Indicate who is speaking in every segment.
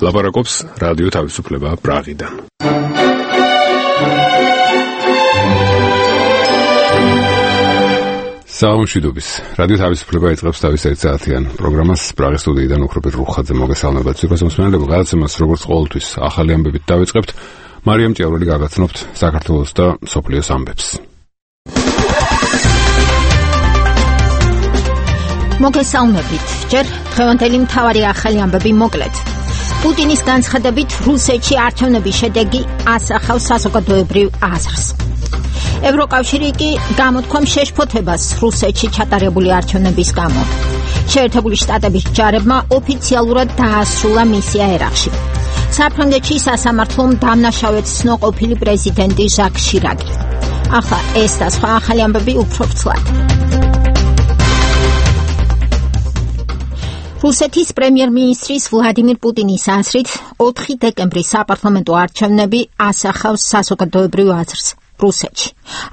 Speaker 1: ლაპარაკობს რადიო თავისუფლება პრაღიდან. საამშვიდობის. რადიო თავისუფლება იწყებს თავის ერთსაათიან პროგრამას პრაღის სტუდიიდან უხრობი რუხაძე მოგესალმებათ. სიყვარულმსმენელებო, გადაცემას როგორც ყოველთვის ახალი ამბებით დავიწყებთ. მარიამ ჭიაურელი გაგაცნობთ საქართველოს და მსოფლიოს ამბებს.
Speaker 2: მოგესალმებით. ჯერ დღევანდელი მთავარი ახალი ამბები მოკლედ. პუტინის განცხადებით რუსეთში არჩევნების შედეგი ასახავს საზოგადოებრივ აზრს. ევროკავშირი კი გამოთქვამს შეშფოთებას რუსეთში ჩატარებული არჩევნების გამო. შეერთებული შტატების ჯარებმა ოფიციალურად დაასრულა მისია ერაყში. საფრანგეთში სასამართლომ დამნაშავედ ცნო ყოფილი პრეზიდენტი ჟაკ შირაკი. ახლა ეს და სხვა ახალი ამბები უფრო ვრცლად. რუსეთის პრემიერ-მინისტრის ვლადიმირ პუტინის აზრით 4 დეკემბრის საპარლამენტო არჩევნები ასახავს საზოგადოებრივ აზრს რუსეთში.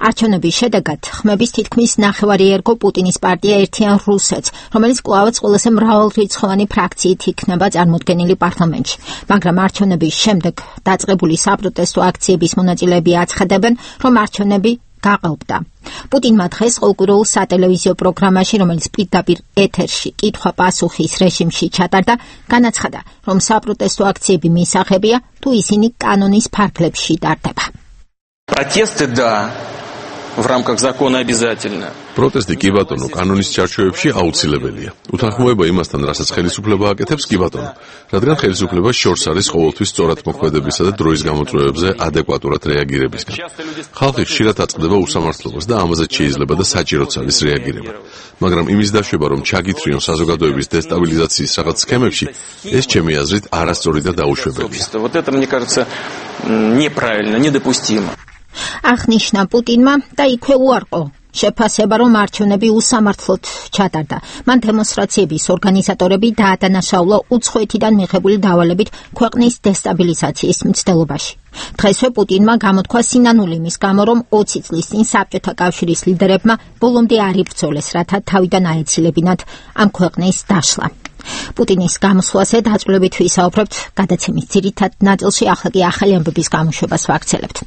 Speaker 2: არჩევნების შედეგად ხმების თითქმის ნახევარი ერგო პუტინის პარტია ერთიან რუსეთს, რომელიც კვლავაც ყველაზე მრავალრიცხოვანი ფრაქციით იქნება წარმოდგენილი პარლამენტში. მაგრამ არჩევნების შემდეგ დაწყებული საპროტესტო აქციების მონაწილეები აცხადებენ, რომ არჩევნები გაყალბდა. პუტინმა დღეს ყოველკვირეულ სატელევიზიო პროგრამაში, რომელიც პირდაპირ ეთერში კითხვა-პასუხის რეჟიმში ჩატარდა, განაცხადა, რომ საპროტესტო აქციები მისაღებია, თუ ისინი კანონის ფარგლებში ტარდება.
Speaker 3: Протесты, да, в рамках закона обязательно.
Speaker 4: Პროტესტი კი ბატონო, კანონის ჩარჩოებში აუცილებელია. უთანხმოება იმასთან, რასაც ხელისუფლება აკეთებს, კი ბატონო, რადგან ხელისუფლება შორს არის ყოველთვის სწორად მოქმედებისა და დროის გამოწვევებზე ადეკვატურად რეაგირებისგან. ხალხი ხშირად აწყდება უსამართლობას და ამაზე შეიძლება და საჭიროც არის რეაგირება. მაგრამ იმის დაშვება, რომ ჩაგითრიონ საზოგადოების დესტაბილიზაციის რაღაც სქემებში, ეს ჩემი აზრით არასწორი და დაუშვებელია.
Speaker 3: Вот это, мне кажется, неправильно, недопустимо.
Speaker 2: აღნიშნა პუტინმა და იქვე უარყო შეფასება, რომ არჩევნები უსამართლოდ ჩატარდა. მან დემონსტრაციების ორგანიზატორები დაადანაშაულა უცხოეთიდან მიღებული დავალებით ქვეყნის დესტაბილიზაციის მცდელობაში. დღესვე პუტინმა გამოთქვა სინანული იმის გამო, რომ 20 წლის წინ საბჭოთა კავშირის ლიდერებმა ბოლომდე არ იბრძოლეს, რათა თავიდან აეცილებინათ ამ ქვეყნის დაშლა. პუტინის გამოსვლაზე დაწვრილებით ვისაუბრებთ გადაცემის ძირითად ნაწილში, ახლა კი ახალი ამბების გამოშვებას ვაქცელებთ.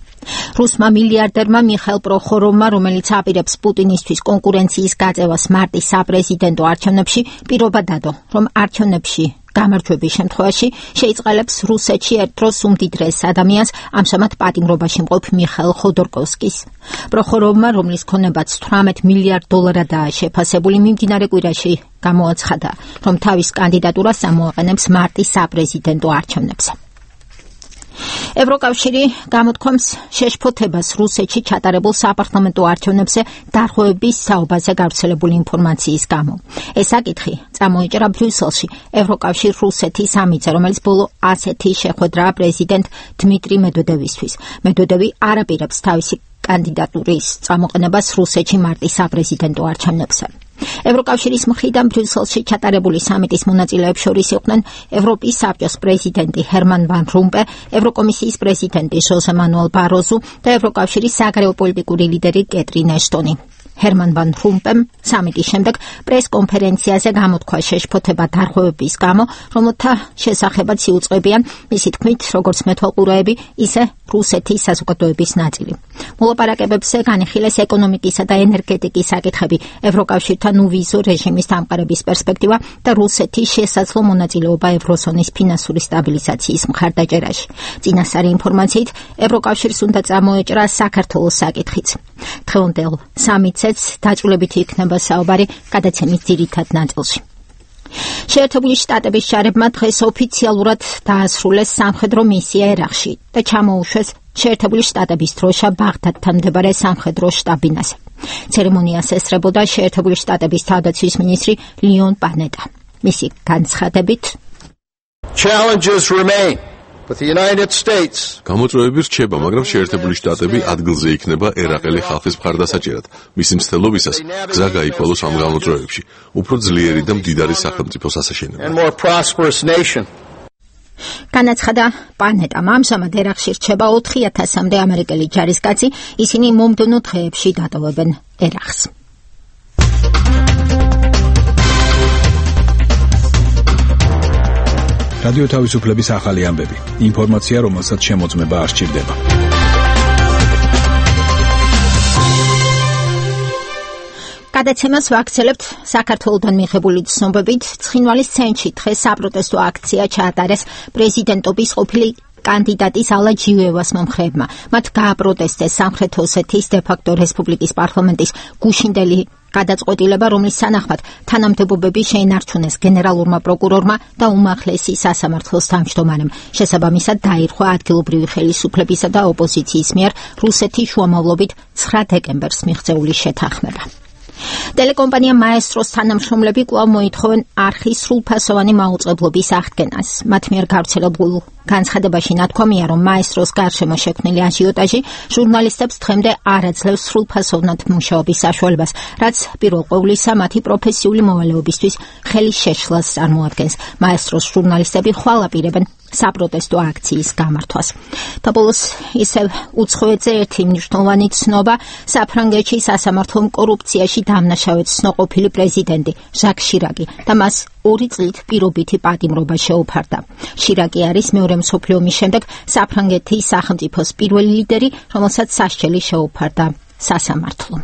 Speaker 2: რუსმა მილიარდერმა მიხაილ პროხოროვმა, რომელიც აპირებს პუტინისთვის კონკურენციის გაწევას მარტის საპრეზიდენტო არჩევნებში, პირობა დადო, რომ არჩევნებში გამარჯვების შემთხვევაში შეიწყალებს რუსეთში ერთდროს უმდიდრეს ადამიანს, ამჟამად პატიმრობაში მყოფ მიხაილ ხოდორკოვსკის. პროხოროვმა, რომლის ქონებაც $18 მილიარდადაა შეფასებული, მიმდინარე კვირაში გამოაცხადა, რომ თავის კანდიდატურას ამოაყენებს მარტის საპრეზიდენტო არჩევნებზე. ევროკავშირი გამოთქვამს შეშფოთებას რუსეთში ჩატარებულ საპარლამენტო არჩევნებზე დარღვევების საუბაზე გავრცელებული ინფორმაციის გამო. ეს საკითხი წამოიჭრა ბრიუსელში ევროკავშირ-რუსეთის სამიტზე, რომელიც ბოლო ასეთი შეხვედრაა პრეზიდენტ დმიტრი მედვედევისთვის. მედვედევი არ აპირებს თავისი კანდიდატურის წამოყენებას რუსეთში მარტის საპრეზიდენტო არჩევნებზე. ევროკავშირის მხრიდან ბრიუსელში ჩატარებული სამიტის მონაწილეებს შორის იყვნენ ევროპის საბჭოს პრეზიდენტი ჰერმან ვან რომპე, ევროკომისიის პრეზიდენტი ჟოზე მანუელ ბაროზუ და ევროკავშირის საგარეო პოლიტიკური ლიდერი კეტრინ ეშტონი. ჰერმან ვან რომპემ სამიტის შემდეგ პრეს-კონფერენციაზე გამოთქვა შეშფოთება დარღვევების გამო, რომელთა შესახებაც იუწყებიან მისი თქმით, როგორც მეთვალყურეები, ისე რუსეთის საზოგადოების ნაწილი. მოლაპარაკებებზე განიხილეს ეკონომიკისა და ენერგეტიკის საკითხები, ევროკავშირთან უვიზო რეჟიმის დამყარების პერსპექტივა და რუსეთის შესაძლო მონაწილეობა ევროზონის ფინანსური სტაბილიზაციის მხარდაჭერაში. წინასწარი ინფორმაციით, ევროკავშირს უნდა წამოეჭრა საქართველოს საკითხიც. დღევანდელ სამიტზეც დაჭრილებით იქნება საუბარი გადაცემის ძირითად ნაწილში. შეერთებული შტატების ჯარებმა დღეს ოფიციალურად დაასრულეს სამხედრო მისია ერაყში და ჩამოუშვეს შეერთებული შტატების დროშა ბაღდადთან მდებარე სამხედრო შტაბ-ბინაზე. ცერემონიას ესწრებოდა შეერთებული შტატების თავდაცვის მინისტრი ლიონ პანეტა. მისი განცხადებით,
Speaker 5: Challenges remain. But the United States
Speaker 4: გამოწვევები რჩება, მაგრამ შეერთებული შტატები ადგილზე იქნება ერაყელი ხალხის მხარდასაჭერად. მისი მცდელობისას გზა გაიქვალოს ამ გამოწვევებში. უფრო ძლიერი და მდიდარი სახელმწიფოს ასაშენებლად.
Speaker 2: განაცხადა პანეტამ. ამჟამად ერაყში რჩება 4000-მდე ამერიკელი ჯარისკაცი, ისინი მომდევნო დღეებში დატოვებენ ერაყს.
Speaker 6: რადიო თავისუფლების ახალი ამბები. ინფორმაცია, რომელსაც შემოწმება არ სჭირდება.
Speaker 2: გადაცემას ვაქცელებთ საქართველოდან მიღებული ცნობებით. ცხინვალის ცენტრში დღეს საპროტესტო აქცია ჩაატარეს პრეზიდენტობის ყოფილი კანდიდატის ალა ჯივევას მომხრეებმა. მათ გააპროტესტეს სამხრეთ ოსეთის დე-ფაქტო რესპუბლიკის პარლამენტის გუშინდელი გადაწყვეტილება, რომლის სანახმად თანამდებობები შეინარჩუნეს გენერალურმა პროკურორმა და უმაღლესი სასამართლოს თავმჯდომარემ. შესაბამისად დაირღვა ადგილობრივი ხელისუფლებისა და ოპოზიციის მიერ რუსეთის შუამავლობით 9 დეკემბერს მიღწეული შეთანხმება. ტელეკომპანია მაესტროს თანამშრომლები კვლავ მოითხოვენ არხის სრულფასოვანი მაუწყებლობის აღდგენას. მათ მიერ გავრცელებულ განცხადებაში ნათქვამია, რომ მაესტროს გარშემო შექმნილი აჟიოტაჟი ჟურნალისტებს დღემდე არ აძლევს სრულფასოვნად მუშაობის საშუალებას, რაც პირველ ყოვლისა მათი პროფესიული მოვალეობისთვის ხელის შეშლას წარმოადგენს. მაესტროს ჟურნალისტები ხვალ აპირებენ საპროტესტო აქციის გამართვას. თაბოლოს ისევ უცხოეთზე ერთი მნიშვნელოვანი ცნობა, საფრანგეთში სასამართლომ კორუფციაში დამნაშავედ ცნობილი პრეზიდენტი ჟაკ შირაკი და მას 2 წლით პირობითი პატიმრობა შეუფარდა. შირაკი არის მეორე მსოფლიო ომის შემდეგ საფრანგეთის სახელმწიფოს პირველი ლიდერი, რომელსაც სასჯელი შეუფარდა სასამართლომ.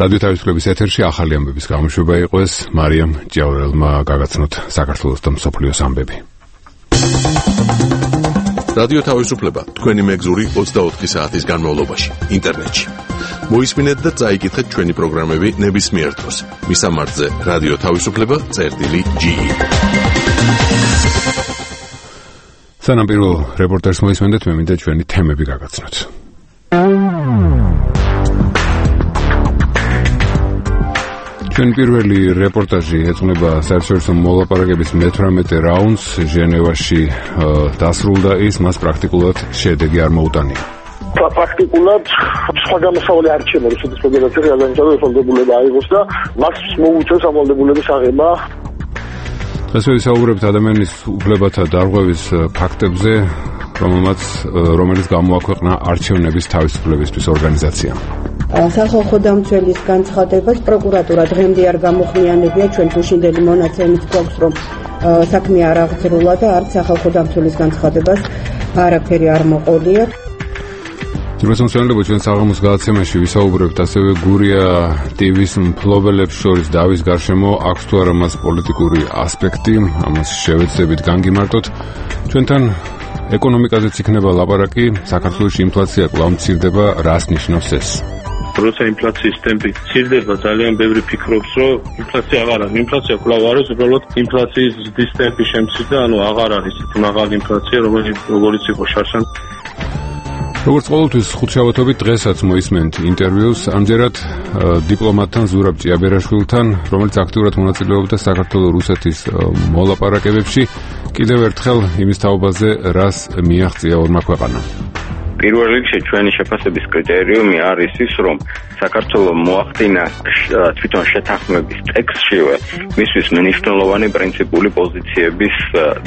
Speaker 1: რადიო თავისუფლების ეთერში ახალი ამბების გამოშვება იყო ეს. მარიამ ჭიაურელმა გაგაცნოთ საქართველოს და მსოფლიოს ამბები.
Speaker 4: რადიო თავისუფლება თქვენი მეგზური 24 საათის განმავლობაში ინტერნეტში. მოისმინეთ და წაიკითხეთ ჩვენი პროგრამები ნებისმიერ დროს. მისამართზე რადიო თავისუფლება.ge. სანამ პირველ რეპორტერს მოისმენდეთ, მე მინდა ჩვენი თემები გაგაცნოთ. ჩვენ პირველი რეპორტაჟი ეძღვნება საერთაშორისო მოლაპარაკების მე-18 რაუნდს ჟენევაში დასრულდა ის, მას პრაქტიკულად შედეგი არ მოუტანია.
Speaker 7: პრაქტიკულად სხვა გამოსავალი არ რჩება რუსეთის ფედერაციაში გადაინტერესებულ ვალდებულება აიღოს და მას მოუწევს ამ ვალდებულების აღება.
Speaker 1: დღეს ვისაუბრებთ ადამიანის უფლებათა დარღვევის ფაქტებზე, რომელიც გამოაქვეყნა არჩევნების თავისუფლებისთვის ორგანიზაციამ.
Speaker 8: სახალხო დამცველის განცხადებას პროკურატურა დღემდე არ გამოხმიანებია. ჩვენ გუშინდელი მონაცემით გვაქვს, რომ საქმე არ აღძრულა და არც სახალხო დამცველის განცხადებას არაფერი არ მოყოლია.
Speaker 1: ძიროსამსვენებლები ჩვენ საღამოს გადაცემაში ვისაუბრებთ ასევე გურია ტივის მფლობელებს შორის დავის გარშემო აქვს თუ არა მას პოლიტიკური ასპექტი, ამას შევეცდებით განგიმარტოთ. ჩვენთან ეკონომიკაზეც იქნება ლაპარაკი, საქართველოში ინფლაცია კვლავ მცირდება, რას ნიშნავს ეს?
Speaker 9: როცა ინფლაციის ტემპი მცირდება, ძალიან ბევრი ფიქრობს, რომ ინფლაცია აღარ არის. ინფლაცია კვლავ არის, უბრალოდ ინფლაციის ზრდის ტემპი შემცირდა, აღარ არის მაღალი ინფლაცია, როგორც იყო შარშან. როგორც ყოველთვის ხუთშაბათობით დღესაც მოისმენთ ინტერვიუს, ამჯერად დიპლომატთან ზურაბ ჭიაბერაშვილთან, რომელიც აქტიურად მონაწილეობდა საქართველო-რუსეთის მოლაპარაკებებში. კიდევ ერთხელ იმის თაობაზე, რას მიაღწია ორმა ქვეყანამ.
Speaker 10: პირველ რიგში ჩვენი შეფასების კრიტერიუმი არის ის, რომ საქართველო მოახდინა თვითონ შეთანხმების ტექსტშივე მისთვის მნიშვნელოვანი პრინციპული პოზიციების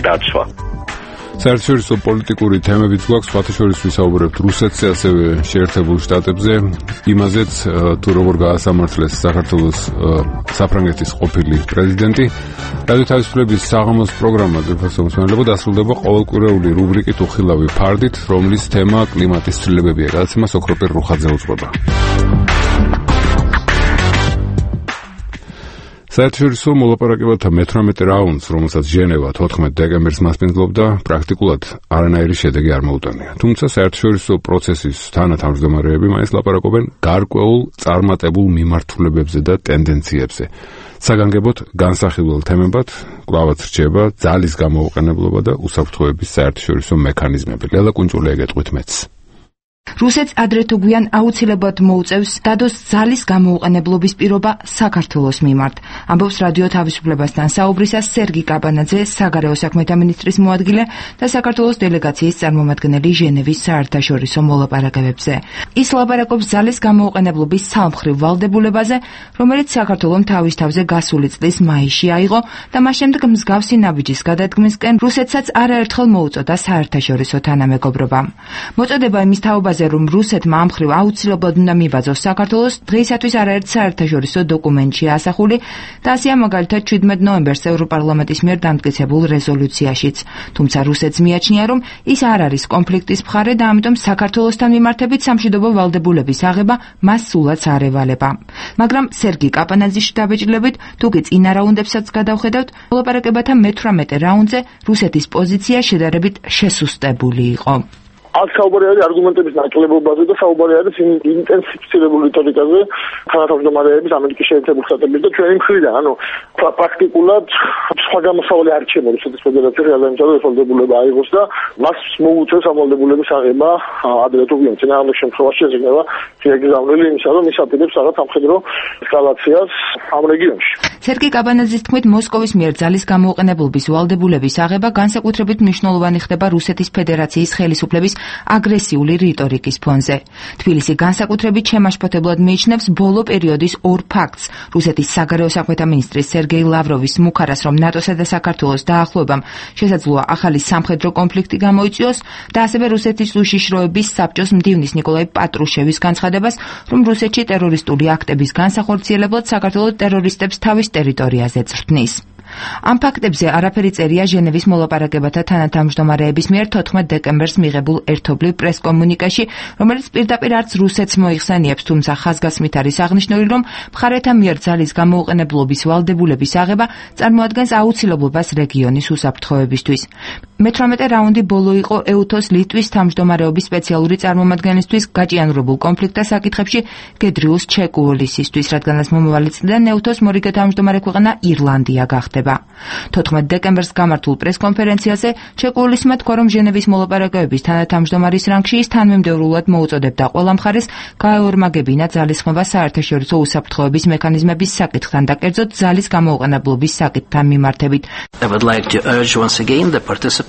Speaker 10: დაცვა.
Speaker 1: საერთაშორისო პოლიტიკური თემებიც გვაქვს, სხვათა შორის ვისაუბრებთ რუსეთზე, ასევე შეერთებულ შტატებზე, იმაზეც თუ როგორ გაასამართლეს საქართველოს საფრანგეთის ყოფილი პრეზიდენტი. რადიო თავისუფლების საღამოს პროგრამა ძირფასობისმენელობა დასრულდება ყოველკვირეული რუბრიკით უხილავი ფარდით, რომლის თემა კლიმატის ცვლილებებია. გადაცემას ოქროპერ რუხაძე უძღვება. საერთაშორისო მოლაპარაკებათა მე-18 რაუნდს, რომელსაც ჟენევა 14 დეკემბერს მასპინძლობდა, პრაქტიკულად არანაირი შედეგი არ მოუტანია. თუმცა საერთაშორისო პროცესის თანათავმჯდომარეები მაინც ლაპარაკობენ გარკვეულ წარმატებულ მიმართულებებზე და ტენდენციებზე. საგანგებოდ განსახილველ თემებად კვლავაც რჩება ძალის გამოუყენებლობა და უსაფრთხოების საერთაშორისო მექანიზმები. ლელა კუნჭული ეგეთყვით მეც.
Speaker 11: რუსეთს ადრე თუ გვიან აუცილებლად მოუწევს დადოს ძალის გამოუყენებლობის პირობა საქართველოს მიმართ. ამბობს რადიო თავისუფლებასთან საუბრისას სერგი კაბანაძე, საგარეო საქმეთა მინისტრის მოადგილე და საქართველოს დელეგაციის წარმომადგენელი ჟენევის საერთაშორისო მოლაპარაკებებზე. ის ლაპარაკობს ძალის გამოუყენებლობის სამხრივ ვალდებულებაზე, რომელიც საქართველომ თავის თავზე გასული წლის მაისში აიღო და მას შემდეგ მსგავსი ნაბიჯის გადადგმისკენ რუსეთსაც არაერთხელ მოუწოდა საერთაშორისო თანამეგობრობა. მოწოდება იმის თაობაზე ამბავაზე, რომ რუსეთმა ამ მხრივ აუცილებლად უნდა მიბაძოს საქართველოს, დღეისათვის არაერთ საერთაშორისო დოკუმენტში ასახული და ასეა მაგალითად 17 ნოემბერს ევროპარლამენტის მიერ დამტკიცებულ რეზოლუციაშიც. თუმცა რუსეთს მიაჩნია, რომ ის არ არის კონფლიქტის მხარე და ამიტომ საქართველოსთან მიმართებით სამშვიდობო ვალდებულების აღება მას სულაც არ ევალება. მაგრამ სერგი კაპანაძის შთაბეჭდილებით, თუკი წინა რაუნდებსაც გადავხედავთ, მოლაპარაკებათა მე-18 რაუნდზე რუსეთის პოზიცია შედარებით შესუსტებული იყო.
Speaker 7: აქ საუბარი არის არგუმენტების ნაკლებობაზე და საუბარი არის ინტენსიფიცირებულ რიტორიკაზე თანათავმჯდომარეების ამერიკის შეერთებულ შტატების და ჩვენი მხრიდან. ანუ პრაქტიკულად სხვა გამოსავალი არ რჩება რუსეთის ფედერაციაში გადაიმუშავოს ვალდებულება აიღოს და მას მოუწევს ამ ვალდებულების აღება ადრე თუ ვიენ წინააღმდეგ შემთხვევაში შეგრძნება შეეგზავნილი იმისა, რომ ის აპირებს რაღაც სამხედრო ესკალაციას ამ რეგიონში.
Speaker 11: სერგი კაბანაძის თქმით, მოსკოვის მიერ ძალის გამოუყენებლობის ვალდებულების აღება განსაკუთრებით მნიშვნელოვანი ხდება რუსეთის ფედერაციის ხელისუფლების აგრესიული რიტორიკის ფონზე. თბილისი განსაკუთრებით შემაშფოთებლად მიიჩნევს ბოლო პერიოდის ორ ფაქტს: რუსეთის საგარეო საქმეთა მინისტრის სერგეი ლავროვის მუხარას, რომ ნატოსა და საქართველოს დაახლოებამ შესაძლოა ახალი სამხედრო კონფლიქტი გამოიწვიოს და ასევე რუსეთის უშიშროების საბჭოს მდივნის ნიკოლაი პატრუშევის განცხადებას, რომ რუსეთში ტერორისტული აქტების განსახორციელებლად საქართველოს ტერორისტებს თავის ტერიტორიაზე წვრთნის. ამ ფაქტებზე არაფერი წერია ჟენევის მოლაპარაკებათა თანათავმჯდომარეების მიერ 14 დეკემბერს მიღებულ ერთობლივ პრესკომუნიკეში, რომელიც პირდაპირ არც რუსეთს მოიხსენიებს, თუმცა ხაზგასმით არის აღნიშნული, რომ მხარეთა მიერ ძალის გამოუყენებლობის ვალდებულების აღება წარმოადგენს აუცილებლობას რეგიონის უსაფრთხოებისთვის. მე-18 რაუნდი ბოლო იყო ეუთოს ლიტვის თავმჯდომარეობის სპეციალური წარმომადგენლისთვის გაჭიანურებულ კონფლიქტთა საკითხებში გედრიუს ჩეკუოლისისთვის, რადგანაც მომავალი წლიდან ეუთოს მორიგე თავმჯდომარე ქვეყანა ირლანდია გახდება. 14 დეკემბერს გამართულ პრესკონფერენციაზე ჩეკუოლისმა თქვა, რომ ჟენევის მოლაპარაკებების თანათავმჯდომარის რანგში ის თანმიმდევრულად მოუწოდებდა ყველა მხარეს გაეორმაგებინა ძალისხმევა საერთაშორისო უსაფრთხოების მექანიზმების საკითხთან და კერძოდ ძალის გამოუყენებლობის საკითხთან მიმართებით.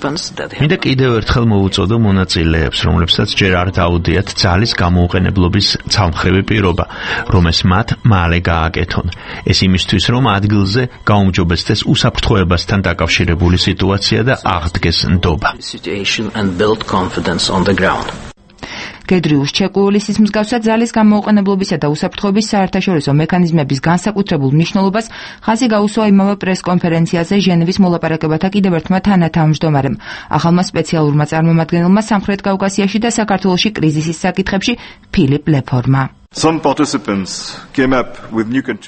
Speaker 12: მინდა კიდევ ერთხელ მოუწოდო მონაწილეებს, რომლებსაც ჯერ არ დაუდიათ ძალის გამოუყენებლობის ცალმხრივი პირობა, რომ ეს მათ მალე გააკეთონ. ეს იმისთვის, რომ ადგილზე გაუმჯობესდეს უსაფრთხოებასთან დაკავშირებული სიტუაცია და აღდგეს ნდობა.
Speaker 11: გედრიუს ჩეკუოლისის მსგავსად ძალის გამოუყენებლობისა და უსაფრთხოების საერთაშორისო მექანიზმების განსაკუთრებულ მნიშვნელობას ხაზი გაუსვა იმავე პრესკონფერენციაზე ჟენევის მოლაპარაკებათა კიდევ ერთმა თანათავმჯდომარემ, ახალმა სპეციალურმა წარმომადგენელმა სამხრეთ კავკასიაში და საქართველოში კრიზისის საკითხებში ფილიპ ლეფორმა.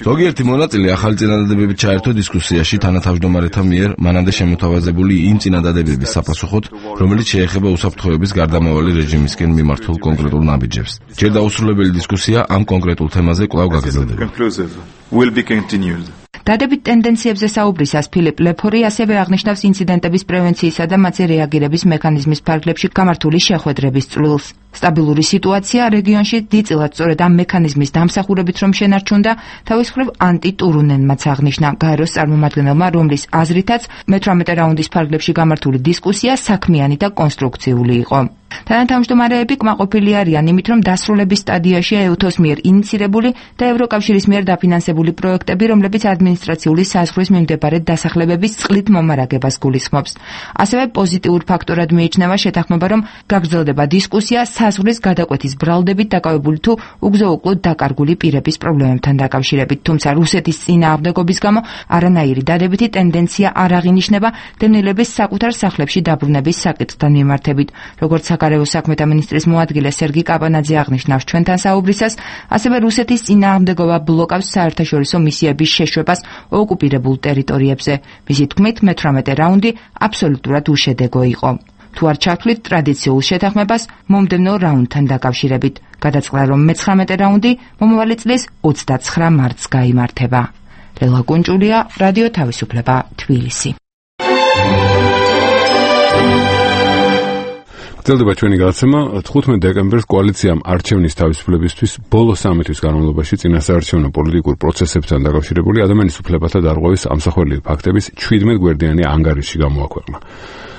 Speaker 13: ზოგიერთი მონაწილე ახალი წინადადებებით ჩაერთო დისკუსიაში თანათავმჯდომარეთა მიერ მანამდე შემოთავაზებული იმ წინადადებების sapasუხოდ, რომელიც შეეხება უსაფრთხოების გარდამავალი რეჟიმისკენ მიმართულ კონკრეტულ ნაბიჯებს. ჯერ დაუსრულებელი დისკუსია ამ კონკრეტულ თემაზე კვლავ გაგრძელდება.
Speaker 11: დადებით ტენდენციებზე საუბრისას ფილიპ ლეფორი ასევე აღნიშნავს ინციდენტების პრევენციისა და მათზე რეაგირების მექანიზმის ფარგლებში გამართული შეხვედრების წვლილს. სტაბილური სიტუაცია რეგიონში დიდწილად სწორედ ამ მექანიზმის დამსახურებით რომ შენარჩუნდა, თავის მხრივ ანტი ტურუნენმაც აღნიშნა გაეროს წარმომადგენელმა, რომლის აზრითაც მე-18 რაუნდის ფარგლებში გამართული დისკუსია საქმიანი და კონსტრუქციული იყო. თანათავმჯდომარეები კმაყოფილი არიან იმით, რომ დასრულების სტადიაშია ეუთოს მიერ ინიცირებული და ევროკავშირის მიერ დაფინანსებული პროექტები, რომლებიც ადმინისტრაციული საზღვრის მიმდებარე დასახლებების წყლით მომარაგებას გულისხმობს. ასევე პოზიტიურ ფაქტორად მიიჩნევა შეთანხმება, რომ გაგრძელდება დისკუსია საზღვრის გადაკვეთის ბრალდებით დაკავებული თუ უგზო-უკლოდ დაკარგული პირების პრობლემებთან დაკავშირებით, თუმცა რუსეთის წინააღმდეგობის გამო არანაირი დადებითი ტენდენცია არ აღინიშნება დევნილების საკუთარ სახლებში დაბრუნების საკითხთან მიმართებით. როგორც საგარეო საქმეთა მინისტრის მოადგილე სერგი კაპანაძე აღნიშნავს ჩვენთან საუბრისას, ასევე რუსეთის წინააღმდეგობა ბლოკავს საერთაშორისო მისიების შეშვებას ოკუპირებულ ტერიტორიებზე. მისი თქმით, მე-18 რაუნდი აბსოლუტურად უშედეგო იყო. თუ არ ჩართვლით ტრადიციულ შეთანხმებას მომდევნო რაუნდთან დაკავშირებით. გადაწყდა, რომ მე-19 რაუნდი მომავალი წლის 29 მარტს გაიმართება. ლელა კუნჭულია, რადიო თავისუფლება, თბილისი.
Speaker 1: გრძელდება ჩვენი გადაცემა. 15 დეკემბერს კოალიციამ არჩევნის თავისუფლებისთვის ბოლო 3 თვის განმავლობაში წინასაარჩევნო პოლიტიკურ პროცესებთან დაკავშირებული ადამიანის უფლებათა დარღვევის ამსახველი ფაქტების 17 გვერდიანი ანგარიში გამოაქვეყნა.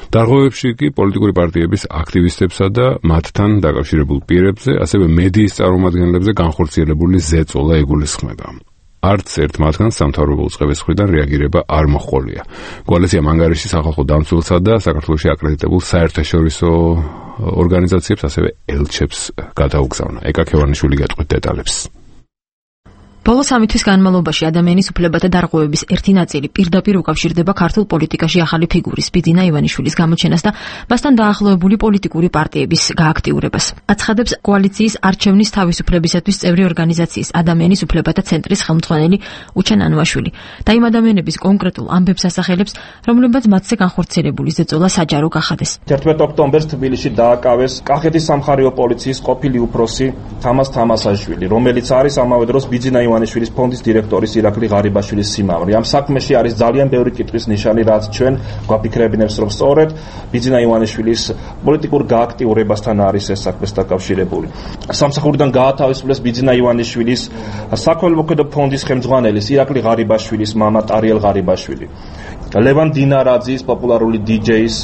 Speaker 1: დარღვევებში კი პოლიტიკური პარტიების აქტივისტებსა და მათთან დაკავშირებულ პირებზე, ასევე მედიის წარმომადგენლებზე განხორციელებული ზეწოლა იგულისხმება. არც ერთ მათგანს სამთავრობო უწყების მხრიდან რეაგირება არ მოჰყოლია. კოალიციამ ანგარიში სახალხო დამცველსა და საქართველოში აკრედიტებულ საერთაშორისო ორგანიზაციებს, ასევე ელჩებს გადაუგზავნა. ეკა ქევანიშვილი გეტყვით დეტალებს.
Speaker 14: ბოლო 3 თვის განმავლობაში ადამიანის უფლებათა დარღვევების ერთი ნაწილი პირდაპირ უკავშირდება ქართულ პოლიტიკაში ახალი ფიგურის ბიძინა ივანიშვილის გამოჩენას და მასთან დაახლოებული პოლიტიკური პარტიების გააქტიურებას. აცხადებს კოალიციის არჩევნის თავისუფლებისათვის წევრი ორგანიზაციის ადამიანის უფლებათა ცენტრის ხელმძღვანელი უჩენ ანუაშვილი და იმ ადამიანების კონკრეტულ ამბებს ასახელებს, რომლებიც მათზე განხორციელებული ზეწოლა საჯარო გახადეს.
Speaker 15: 11 ოქტომბერს თბილისში დააკავეს კახეთის სამხარეო პოლიციის ყოფილი უფროსი თამას თამასაშვილი, რომელიც არის ამავე დროს ბიძინა ივანიშვილის ფონდის დირექტორის ირაკლი ღარიბაშვილის სიმამრი. ამ საქმეში არის ძალიან ბევრი კითხვის ნიშანი, რაც ჩვენ გვაფიქრებინებს, რომ სწორედ ბიძინა ივანიშვილის პოლიტიკურ გააქტიურებასთან არის ეს საქმეს დაკავშირებული. სამსახურიდან გაათავისუფლეს ბიძინა ივანიშვილის საქველმოქმედო ფონდის ხელმძღვანელის ირაკლი ღარიბაშვილის მამა ტარიელ ღარიბაშვილი. ლევან დინარაძის პოპულარული დიჯეის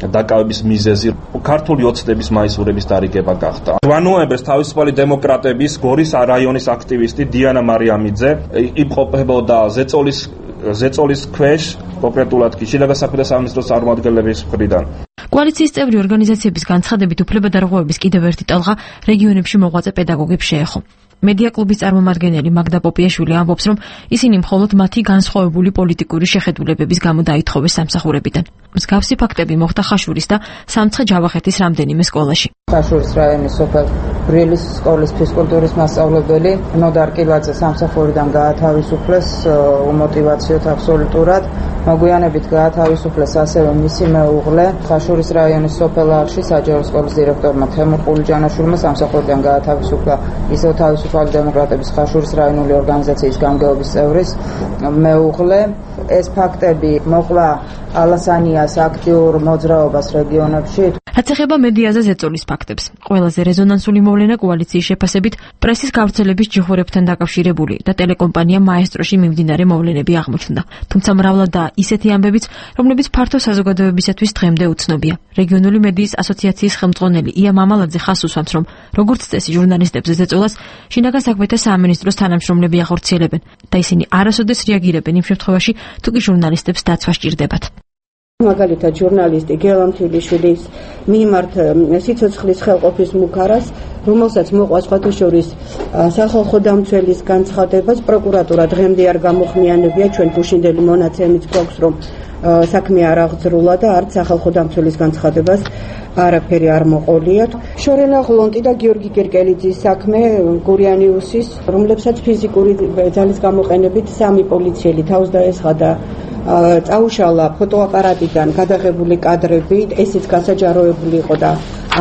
Speaker 15: დაკავების მიზეზი ქართული ოცნების მაისურების დარიგება გახდა. 8 ნოემბერს თავისუფალი დემოკრატების გორის რაიონის აქტივისტი დიანა მარიამიძე იმყოფებოდა ზეწოლის ქვეშ, კონკრეტულად კი შინაგან საქმეთა სამინისტროს წარმომადგენლების მხრიდან.
Speaker 14: კოალიციის წევრი ორგანიზაციების განცხადებით უფლებადარღვევების კიდევ ერთი ტალღა რეგიონებში მოღვაწე პედაგოგებს შეეხო. მედია კლუბის წარმომადგენელი მაგდა პოპიაშვილი ამბობს, რომ ისინი მხოლოდ მათი განსხვავებული პოლიტიკური შეხედულებების გამო დაითხოვეს სამსახურებიდან. მსგავსი ფაქტები მოხდა ხაშურის და სამცხე-ჯავახეთის რამდენიმე სკოლაში.
Speaker 16: ხაშურის რაიონის სოფელ ბრილის სკოლის ფიზკულტურის მასწავლებელი ნოდარ კიბაძე სამსახურიდან გაათავისუფლეს უმოტივაციოდ აბსოლუტურად. მოგვიანებით გაათავისუფლეს ასევე მისი მეუღლე ხაშურის რაიონის სოფელ აღში საჯარო სკოლის დირექტორმა თემურ ყულიჯანაშვილმა სამსახურიდან გაათავისუფლა ისევ თავისუფალი დემოკრატების ხაშურის რაიონული ორგანიზაციის გამგეობის წევრის მეუღლე. ეს ფაქტები მოყვა ალასანიას აქტიურ მოძრაობას რეგიონებში.
Speaker 14: რაც ეხება მედიაზე ზეწოლის ფაქტებს, ყველაზე რეზონანსული მოვლენა კოალიციის შეფასებით პრესის გავრცელების ჯიხურებთან დაკავშირებული და ტელეკომპანია მაესტროში მიმდინარე მოვლენები აღმოჩნდა. თუმცა მრავლადაა ისეთი ამბებიც, რომლებიც ფართო საზოგადოებისათვის დღემდე უცნობია. რეგიონული მედიის ასოციაციის ხელმძღვანელი ია მამალაძე ხას უსვამს, რომ როგორც წესი ჟურნალისტებზე ზეწოლას შინაგან საქმეთა სამინისტროს თანამშრომლები ახორციელებენ და ისინი არასოდეს რეაგირებენ იმ შემთხვევაში, თუ კი ჟურნალისტებს დაცვა სჭირდებათ.
Speaker 8: მაგალითად ჟურნალისტი გელამთილიშვილის მიმართ სიცოცხლის ხელყოფის მუქარას, რომელსაც მოყვა სხვათა შორის სახალხო დამცველის განცხადებას, პროკურატურა დღემდე არ გამოხმიანებია. ჩვენ გუშინდელი მონაცემიც გვაქვს, რომ საქმე არ აღძრულა და არც სახალხო დამცველის განცხადებას არაფერი არ მოყოლია. შორენა ღლონტი და გიორგი გერკელიძის საქმე გურიანიუსის, რომლებსაც ფიზიკური ძალის გამოყენებით 3 პოლიციელი თავს დაესხა და წაუშალა ფოტოაპარატიდან გადაღებული კადრები, ესეც გასაჯაროებული იყო და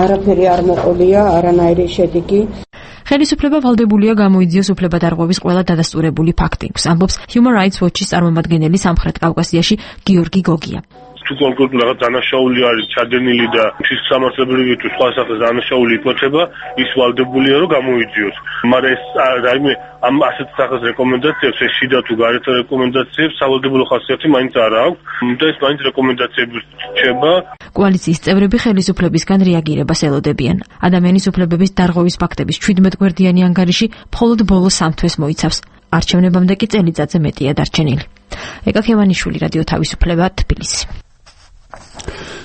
Speaker 8: არაფერი არ მოყოლია, არანაირი შედეგი.
Speaker 14: ხელისუფლება ვალდებულია გამოიძიოს უფლებადარღვევის ყველა დადასტურებული ფაქტი, ამბობს Human Rights Watch-ის წარმომადგენელი სამხრეთ კავკასიაში გიორგი გოგია.
Speaker 9: თუ კონკრეტულად რაღაც დანაშაული არის ჩადენილი და ის სამართლებრივი თუ სხვა სახის დანაშაული იკოჩება, ის ვალდებულია რომ გამოიძიოს. მაგრამ ეს რაიმე ამ ასეთ სახის რეკომენდაციებს, ეს შიდა თუ გარეთა რეკომენდაციებს სავალდებულო ხასიათი მაინც არ აქვს და ეს მაინც რეკომენდაციები რჩება.
Speaker 14: კოალიციის წევრები ხელისუფლებისგან რეაგირებას ელოდებიან. ადამიანის უფლებების დარღვევის ფაქტების 17 გვერდიანი ანგარიში მხოლოდ ბოლო 3 თვეს მოიცავს. არჩევნებამდე კი წელიწადზე მეტია დარჩენილი. ეკა ქევანიშვილი, რადიო თავისუფლება, თბილისი.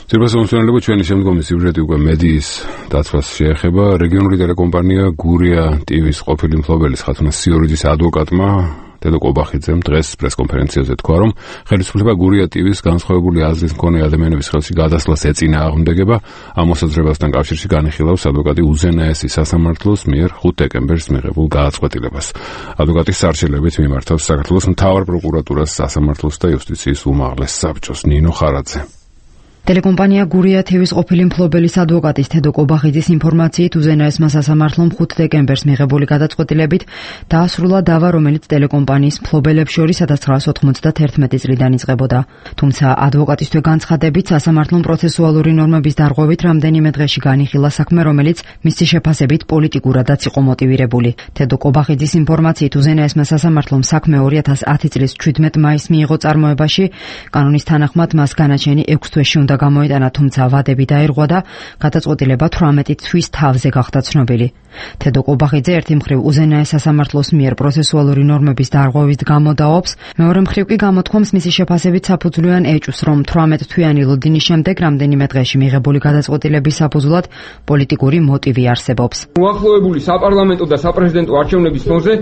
Speaker 1: ძირფასმომსვენებლები, ჩვენი შემდგომი სიუჟეტი უკვე მედიის დაცვას შეეხება. რეგიონული ტელეკომპანია გურია TV-ს ყოფილი მფლობელის ხათუნა სიორიძის ადვოკატმა დედო კობახიძემ დღეს პრესკონფერენციაზე თქვა, რომ ხელისუფლება გურია TV-ს განსხვავებული აზრის მქონე ადამიანების ხელში გადასვლას ეწინააღმდეგება. ამ მოსაზრებასთან კავშირში განიხილავს ადვოკატი უზენაესი სასამართლოს მიერ 5 დეკემბერს მიღებულ გადაწყვეტილებას. ადვოკატის სარჩელებით მიმართავს საქართველოს მთავარ პროკურატურას, სასამართლოს და იუსტიციის უმაღლეს საბჭოს. ნინო ხარაძე.
Speaker 17: ტელეკომპანია გურია TV-ს ყოფილი მფლობელის ადვოკატის დედო კობახიძის ინფორმაციით უზენაესმა სასამართლომ 5 დეკემბერს მიღებული გადაწყვეტილებით დაასრულა დავა, რომელიც ტელეკომპანიის მფლობელებს შორის 1991 წლიდან იწყებოდა. თუმცა ადვოკატისთვე განცხადებით სასამართლომ პროცესუალური ნორმების დარღვევით რამდენიმე დღეში განიხილა საქმე, რომელიც მისი შეფასებით პოლიტიკურადაც იყო მოტივირებული. დედო კობახიძის ინფორმაციით უზენაესმა სასამართლომ საქმე 2010 წლის 17 მაისს მიიღო წარმოებაში. კანონის თანახმად მას განაჩენი 6 თვეში უნდა უნდა გამოიტანა, თუმცა ვადები დაირღვა და გადაწყვეტილება 18 თვის თავზე გახდა ცნობილი. თედო კობახიძე ერთი მხრივ უზენაეს სასამართლოს მიერ პროცესუალური ნორმების დარღვევით გამოდაობს, მეორე მხრივ კი გამოთქვამს მისი შეფასებით საფუძვლიან ეჭვს, რომ 18 თვიანი ლოდინის შემდეგ რამდენიმე დღეში მიღებული გადაწყვეტილების საფუძვლად პოლიტიკური მოტივი არსებობს.
Speaker 18: უახლოებული საპარლამენტო და საპრეზიდენტო არჩევნების ფონზე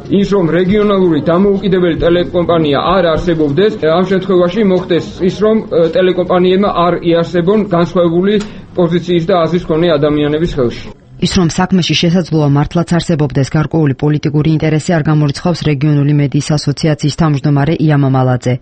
Speaker 18: ის რომ რეგიონალური დამოუკიდებელი ტელეკომპანია არ არსებობდეს, ამ შემთხვევაში მოხდეს ის რომ ტელეკომპანიებმა არ იარსებონ განსხვავებული პოზიციის და აზრის მქონე ადამიანების ხელში.
Speaker 17: ის რომ საქმეში შესაძლოა მართლაც არსებობდეს გარკვეული პოლიტიკური ინტერესი არ გამორიცხავს რეგიონული მედიის ასოციაციის თავმჯდომარე ია მამალაძე.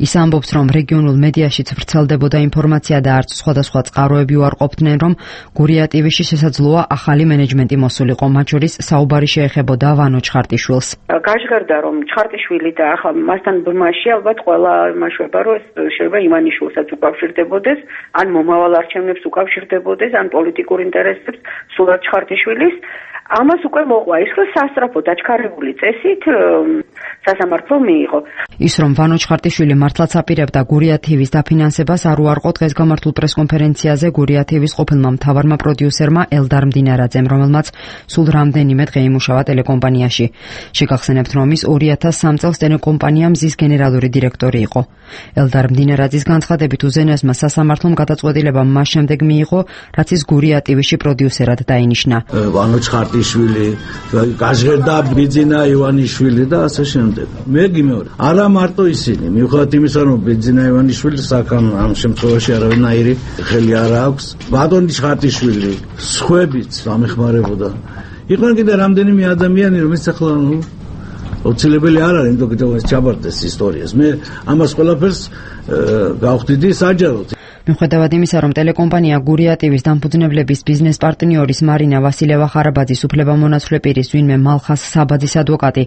Speaker 17: ის ამბობს, რომ რეგიონულ მედიაშიც ვრცელდებოდა ინფორმაცია და არც სხვადასხვა წყაროები უარყოფდნენ, რომ გურია TV-ში შესაძლოა ახალი მენეჯმენტი მოსულიყო, მათ შორის საუბარი შეეხებოდა ვანო ჩხარტიშვილს.
Speaker 19: გაჟღერდა, რომ ჩხარტიშვილი და ახლა მასთან ბრმაში ალბათ ყველა იმაშვება, რომ შეიძლება ივანიშვილსაც უკავშირდებოდეს, ან მომავალ არჩევნებს უკავშირდებოდეს, ან პოლიტიკურ ინტერესებს სულ ჩხარტიშვილის. ამას უკვე მოყვა ის, რომ სასწრაფო დაჩქარებული წესით სასამართლო მიიღო.
Speaker 17: ის რომ ვანო ჩხარტიშვილი მართლაც აპირებდა გურია TV-ს დაფინანსებას, არ უარყო დღეს გამართულ პრესკონფერენციაზე გურია TV-ს ყოფილმა მთავარმა პროდიუსერმა ელდარ მდინარაძემ, რომელმაც სულ რამდენიმე დღე იმუშავა ტელეკომპანიაში. შეგახსენებთ, რომ ის 2003 წელს ტელეკომპანია მზის გენერალური დირექტორი იყო. ელდარ მდინარაძის განცხადებით უზენაესმა სასამართლომ გადაწყვეტილება მას შემდეგ მიიღო, რაც ის გურია TV-ში პროდიუსერად დაინიშნა.
Speaker 20: ვანო ჩხარტიშვილი, გაჟღერდა ბიძინა ივანიშვილი და ასე შემდეგ. მე გიმეორე, არა მარტო ისინი, მიუხედავად იმისა, რომ ბიძინა ივანიშვილის საკან ამ შემთხვევაში არავინაირი ხელი არ აქვს, ბატონი ჩხარტიშვილი, სხვებიც ამეხმარებოდა. იყვნენ კიდე რამდენიმე ადამიანი, რომელიც ახლა ოცილებელი არ არის, იმიტომ რომ ჩაბარდეს ისტორიას. მე ამას ყველაფერს გავხდიდი საჯაროდ.
Speaker 17: მიუხედავად იმისა, რომ ტელეკომპანია გურია TV-ს დამფუძნებლების ბიზნეს პარტნიორის მარინა ვასილევა-ხარაბაძის უფლებამონაცვლე პირის ვინმე მალხას საბაძის ადვოკატი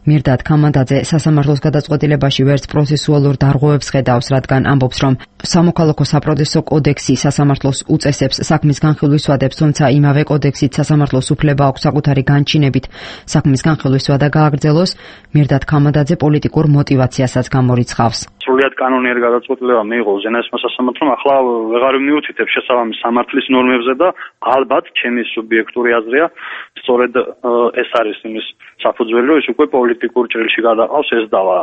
Speaker 17: მირდად ქამანდაძე სასამართლოს გადაწყვეტილებაში ვერც პროცესუალურ დარღვევებს ხედავს, რადგან ამბობს, რომ სამოქალაქო საპროცესო კოდექსი სასამართლოს უწესებს საქმის განხილვის ვადებს, თუმცა იმავე კოდექსით სასამართლოს უფლება აქვს საკუთარი განჩინებით საქმის განხილვის ვადა გააგრძელოს, მირდად ქამანდაძე პოლიტიკურ მოტივაციასაც გამორიცხავს.
Speaker 9: სრულიად კანონიერი გადაწყვეტილება მიიღო უზენაესმა სასამართლომ, ახლა ვეღარ მივუთითებ შესაბამის სამართლის ნორმებზე და ალბათ ჩემი სუბიექტური აზრია, სწორედ ეს არის იმის საფუძველი, რომ ის უკვე პოლიტიკურ ჭრილში გადაყავს ეს დავა.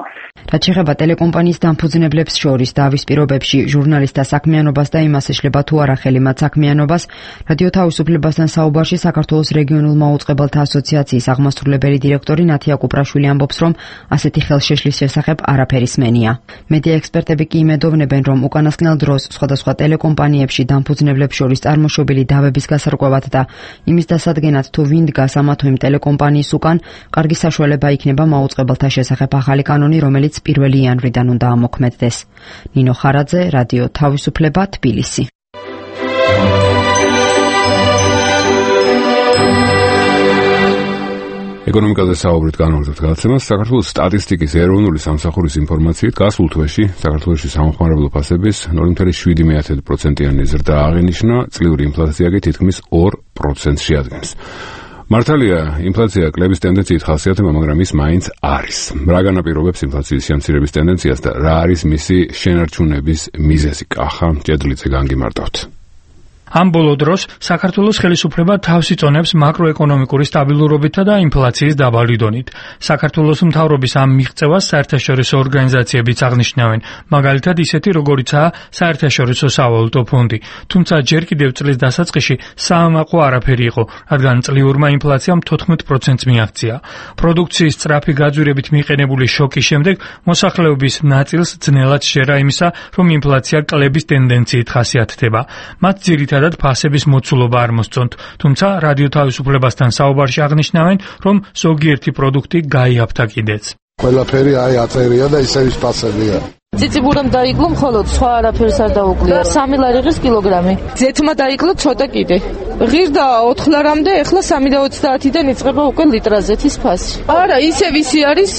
Speaker 17: რაც შეეხება ტელეკომპანიის დამფუძნებლებს შორის დავის პირობებში ჟურნალისტთა საქმიანობას და იმას ეშლება თუ არა ხელი მათ საქმიანობას, რადიო თავისუფლებასთან საუბარში საქართველოს რეგიონულ მაუწყებელთა ასოციაციის აღმასრულებელი დირექტორი ნათია კუპრაშვილი ამბობს, რომ ასეთი ხელშეშლის შესახებ არაფერი სმენია. მედია ექსპერტები კი იმედოვნებენ, რომ უკანასკნელ დროს სხვადასხვა ტელეკომპანიებში დამფუძნებლებს შორის წარმოშობილი დავების გასარკვევად და იმის დასადგენად თუ ვინ დგას ამა თუ იმ ტელეკომპანიის უკან, კარგი საშუალება იქნება მაუწყებელთა შესახებ ახალი კანონი, რომელიც 1 იანვრიდან უნდა ამოქმედდეს. ნინო ხარაძე, რადიო თავისუფლება, თბილისი.
Speaker 1: ეკონომიკაზე საუბრით განვაგრძობთ გადაცემას. საქართველოს სტატისტიკის ეროვნული სამსახურის ინფორმაციით გასულ თვეში საქართველოში სამხმარებლო ფასების 0.7%-იანი ზრდა აღინიშნა, წლიური ინფლაცია კი თითქმის 2%-ში ადგენს. მართალია, ინფლაცია კლების ტენდენციით ხასიათდება, მაგრამ ის მაინც არის. რა განაპირობებს ინფლაციის შემცირების ტენდენციას და რა არის მისი შენარჩუნების მიზეზი? კახა ჭედლიძე განგიმარტავთ.
Speaker 21: ამ ბოლო დროს საქართველოს ხელისუფლება თავს იწონებს მაკროეკონომიკური სტაბილურობითა და ინფლაციის დაბალი დონით. საქართველოს მთავრობის ამ მიღწევას საერთაშორისო ორგანიზაციებიც აღნიშნავენ, მაგალითად ისეთი როგორიცაა საერთაშორისო სავალუტო ფონდი. თუმცა ჯერ კიდევ წლის დასაწყისში საამაყო არაფერი იყო, რადგან წლიურმა ინფლაციამ 14%-ს მიაღწია. პროდუქციის სწრაფი გაძვირებით მიყენებული შოკის შემდეგ მოსახლეობის ნაწილს ძნელად შეერა იმისა, რომ ინფლაცია კლების ტენდენციით ხასიათდება. მათ ძირითადად ფასების მოცულობა არ მოსწონთ, თუმცა რადიო თავისუფლებასთან საუბარში აღნიშნავენ, რომ ზოგიერთი პროდუქტი გაიაფთა კიდეც.
Speaker 22: ყველაფერი აწერია და ისევის ფასებია.
Speaker 23: ციციბურამ დაიკლო მხოლოდ, სხვა არაფერს არ დაუკლია. 3 ლარი ღირს კილოგრამი. ზეთმა დაიკლო ცოტა კიდე. ღირდა 4 ლარამდე, ეხლა 3.30-დან იწყება უკვე ლიტრაზეთის ფასი. არა, ისე ვისი არის,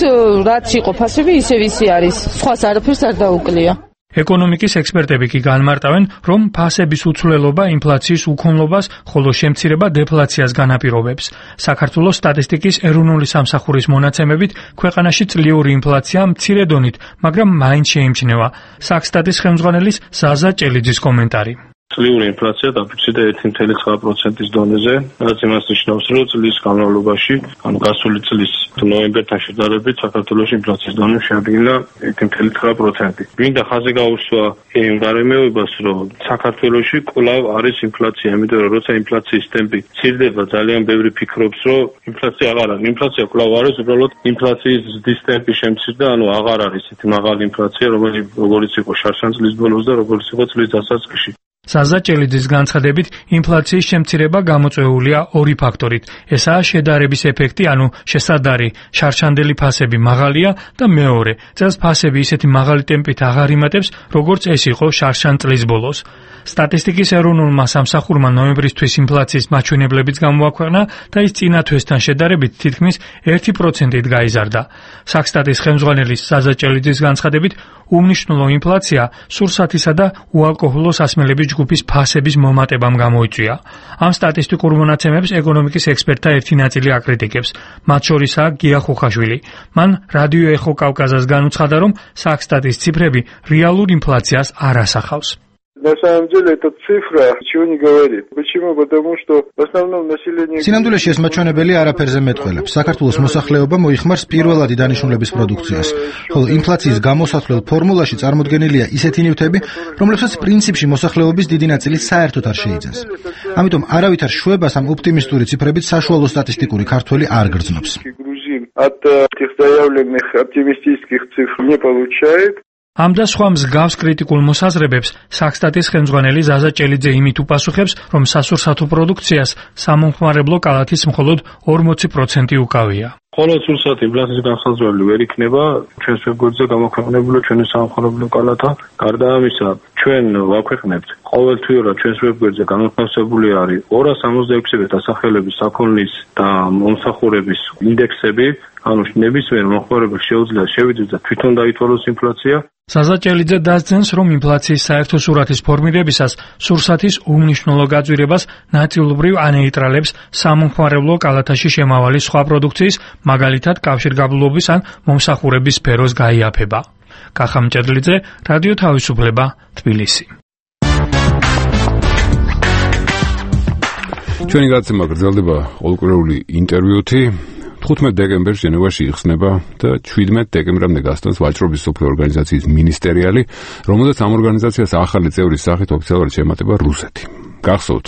Speaker 23: რაც იყო ფასები, ისე ვისი არის. სხვას არაფერს არ დაუკლია.
Speaker 21: ეკონომიკის ექსპერტები კი განმარტავენ, რომ ფასების უცვლელობა ინფლაციის უქონლობას, ხოლო შემცირება დეფლაციას განაპირობებს. საქართველოს სტატისტიკის ეროვნული სამსახურის მონაცემებით, ქვეყანაში წლიური ინფლაცია მცირე დონით, მაგრამ მაინც შეიმჩნევა. საქსტატის ხელმძღვანელის ზაზა ჭელიძის კომენტარი.
Speaker 9: წლიური ინფლაცია დაფიქსირდა 1.9%-ის დონეზე, რაც იმას ნიშნავს, რომ წლის განმავლობაში, ანუ გასული წლის ნოემბერთან შედარებით საქართველოში ინფლაციის დონე შეადგინა 1.9%. გვინდა ხაზი გაუსვა იმ გარემოებას, რომ საქართველოში კვლავ არის ინფლაცია, იმიტომ რომ როცა ინფლაციის ტემპი მცირდება, ძალიან ბევრი ფიქრობს, რომ ინფლაცია აღარ არის. ინფლაცია კვლავ არის, უბრალოდ ინფლაციის ზრდის ტემპი შემცირდა, ანუ აღარ არის ისეთი მაღალი ინფლაცია, როგორც იყო შარშან წლის ბოლოს და როგორც იყო წლის დასაწყისში.
Speaker 21: ზაზა ჭელიძის განცხადებით, ინფლაციის შემცირება გამოწვეულია ორი ფაქტორით. ესაა შედარების ეფექტი, ანუ შესადარი შარშანდელი ფასები მაღალია და მეორე, წელს ფასები ისეთი მაღალი ტემპით აღარ იმატებს, როგორც ეს იყო შარშან წლის ბოლოს. სტატისტიკის ეროვნულმა სამსახურმა ნოემბრისთვის ინფლაციის მაჩვენებლებიც გამოაქვეყნა და ის წინა თვესთან შედარებით თითქმის 1%-ით გაიზარდა. საქსტატის ხელმძღვანელის ზაზა ჭელიძის განცხადებით, უმნიშვნელო ინფლაცია სურსათისა და უალკოჰოლო სასმელების ჯგუფის ფასების მომატებამ გამოიწვია. ამ სტატისტიკურ მონაცემებს ეკონომიკის ექსპერტთა ერთი ნაწილი აკრიტიკებს. მათ შორისაა გია ხუხაშვილი. მან რადიო ეხო კავკაზას განუცხადა, რომ საქსტატის ციფრები რეალურ ინფლაციას არ ასახავს.
Speaker 3: На самом деле эта цифра ничего не говорит. Почему? Потому что в основном население...
Speaker 5: სინამდვილეში ეს მაჩვენებელი არაფერზე მეტყველებს. საქართველოს მოსახლეობა მოიხმარს პირველადი დანიშნულების პროდუქციას, ხოლო ინფლაციის გამოსათვლელ ფორმულაში წარმოდგენილია ისეთი ნივთები, რომლებსაც პრინციპში მოსახლეობის დიდი ნაწილი საერთოდ არ შეიძენს. ამიტომ არავითარ შვებას ამ ოპტიმისტური ციფრებით საშუალო სტატისტიკური ქართველი არ გრძნობს.
Speaker 3: От этих заявленных оптимистических цифр не получает.
Speaker 21: ამ და სხვა მსგავს კრიტიკულ მოსაზრებებს საქსტატის ხელმძღვანელი ზაზა ჭელიძე იმით უპასუხებს, რომ სასურსათო პროდუქციას სამომხმარებლო კალათის მხოლოდ 40% უკავია.
Speaker 9: ხოლო სურსათი ინფლაციის განსაზღვრელი ვერ იქნება ჩვენს ვებგვერდზე გამოქვეყნებული ჩვენი სამომხმარებლო კალათა. გარდა ამისა, ჩვენ ვაქვეყნებთ ყოველთვიურად ჩვენს ვებგვერდზე განთავსებული არის 266 დასახელების საქონლის და მომსახურების ინდექსები, ანუ ნებისმიერ მომხმარებელს შეუძლია შევიდეს და თვითონ დაითვალოს ინფლაცია. ზაზა ჭელიძე დასძენს, რომ ინფლაციის საერთო სურათის ფორმირებისას სურსათის უმნიშვნელო გაძვირებას ნაწილობრივ ანეიტრალებს სამომხმარებლო კალათაში შემავალი სხვა პროდუქციის, მაგალითად კავშირგაბმულობის ან მომსახურების სფეროს გაიაფება. კახა მჭედლიძე, რადიო თავისუფლება, თბილისი.
Speaker 1: ჩვენი გადაცემა გრძელდება ყოველკვირეული ინტერვიუთი. 15 დეკემბერს ჟენევაში იხსნება და 17 დეკემბრამდე გასტანს ვაჭრობის სოფლიო ორგანიზაციის მინისტერიალი, რომელზეც ამ ორგანიზაციას ახალი წევრის სახით ოფიციალურად შეემატება რუსეთი. გახსოვთ,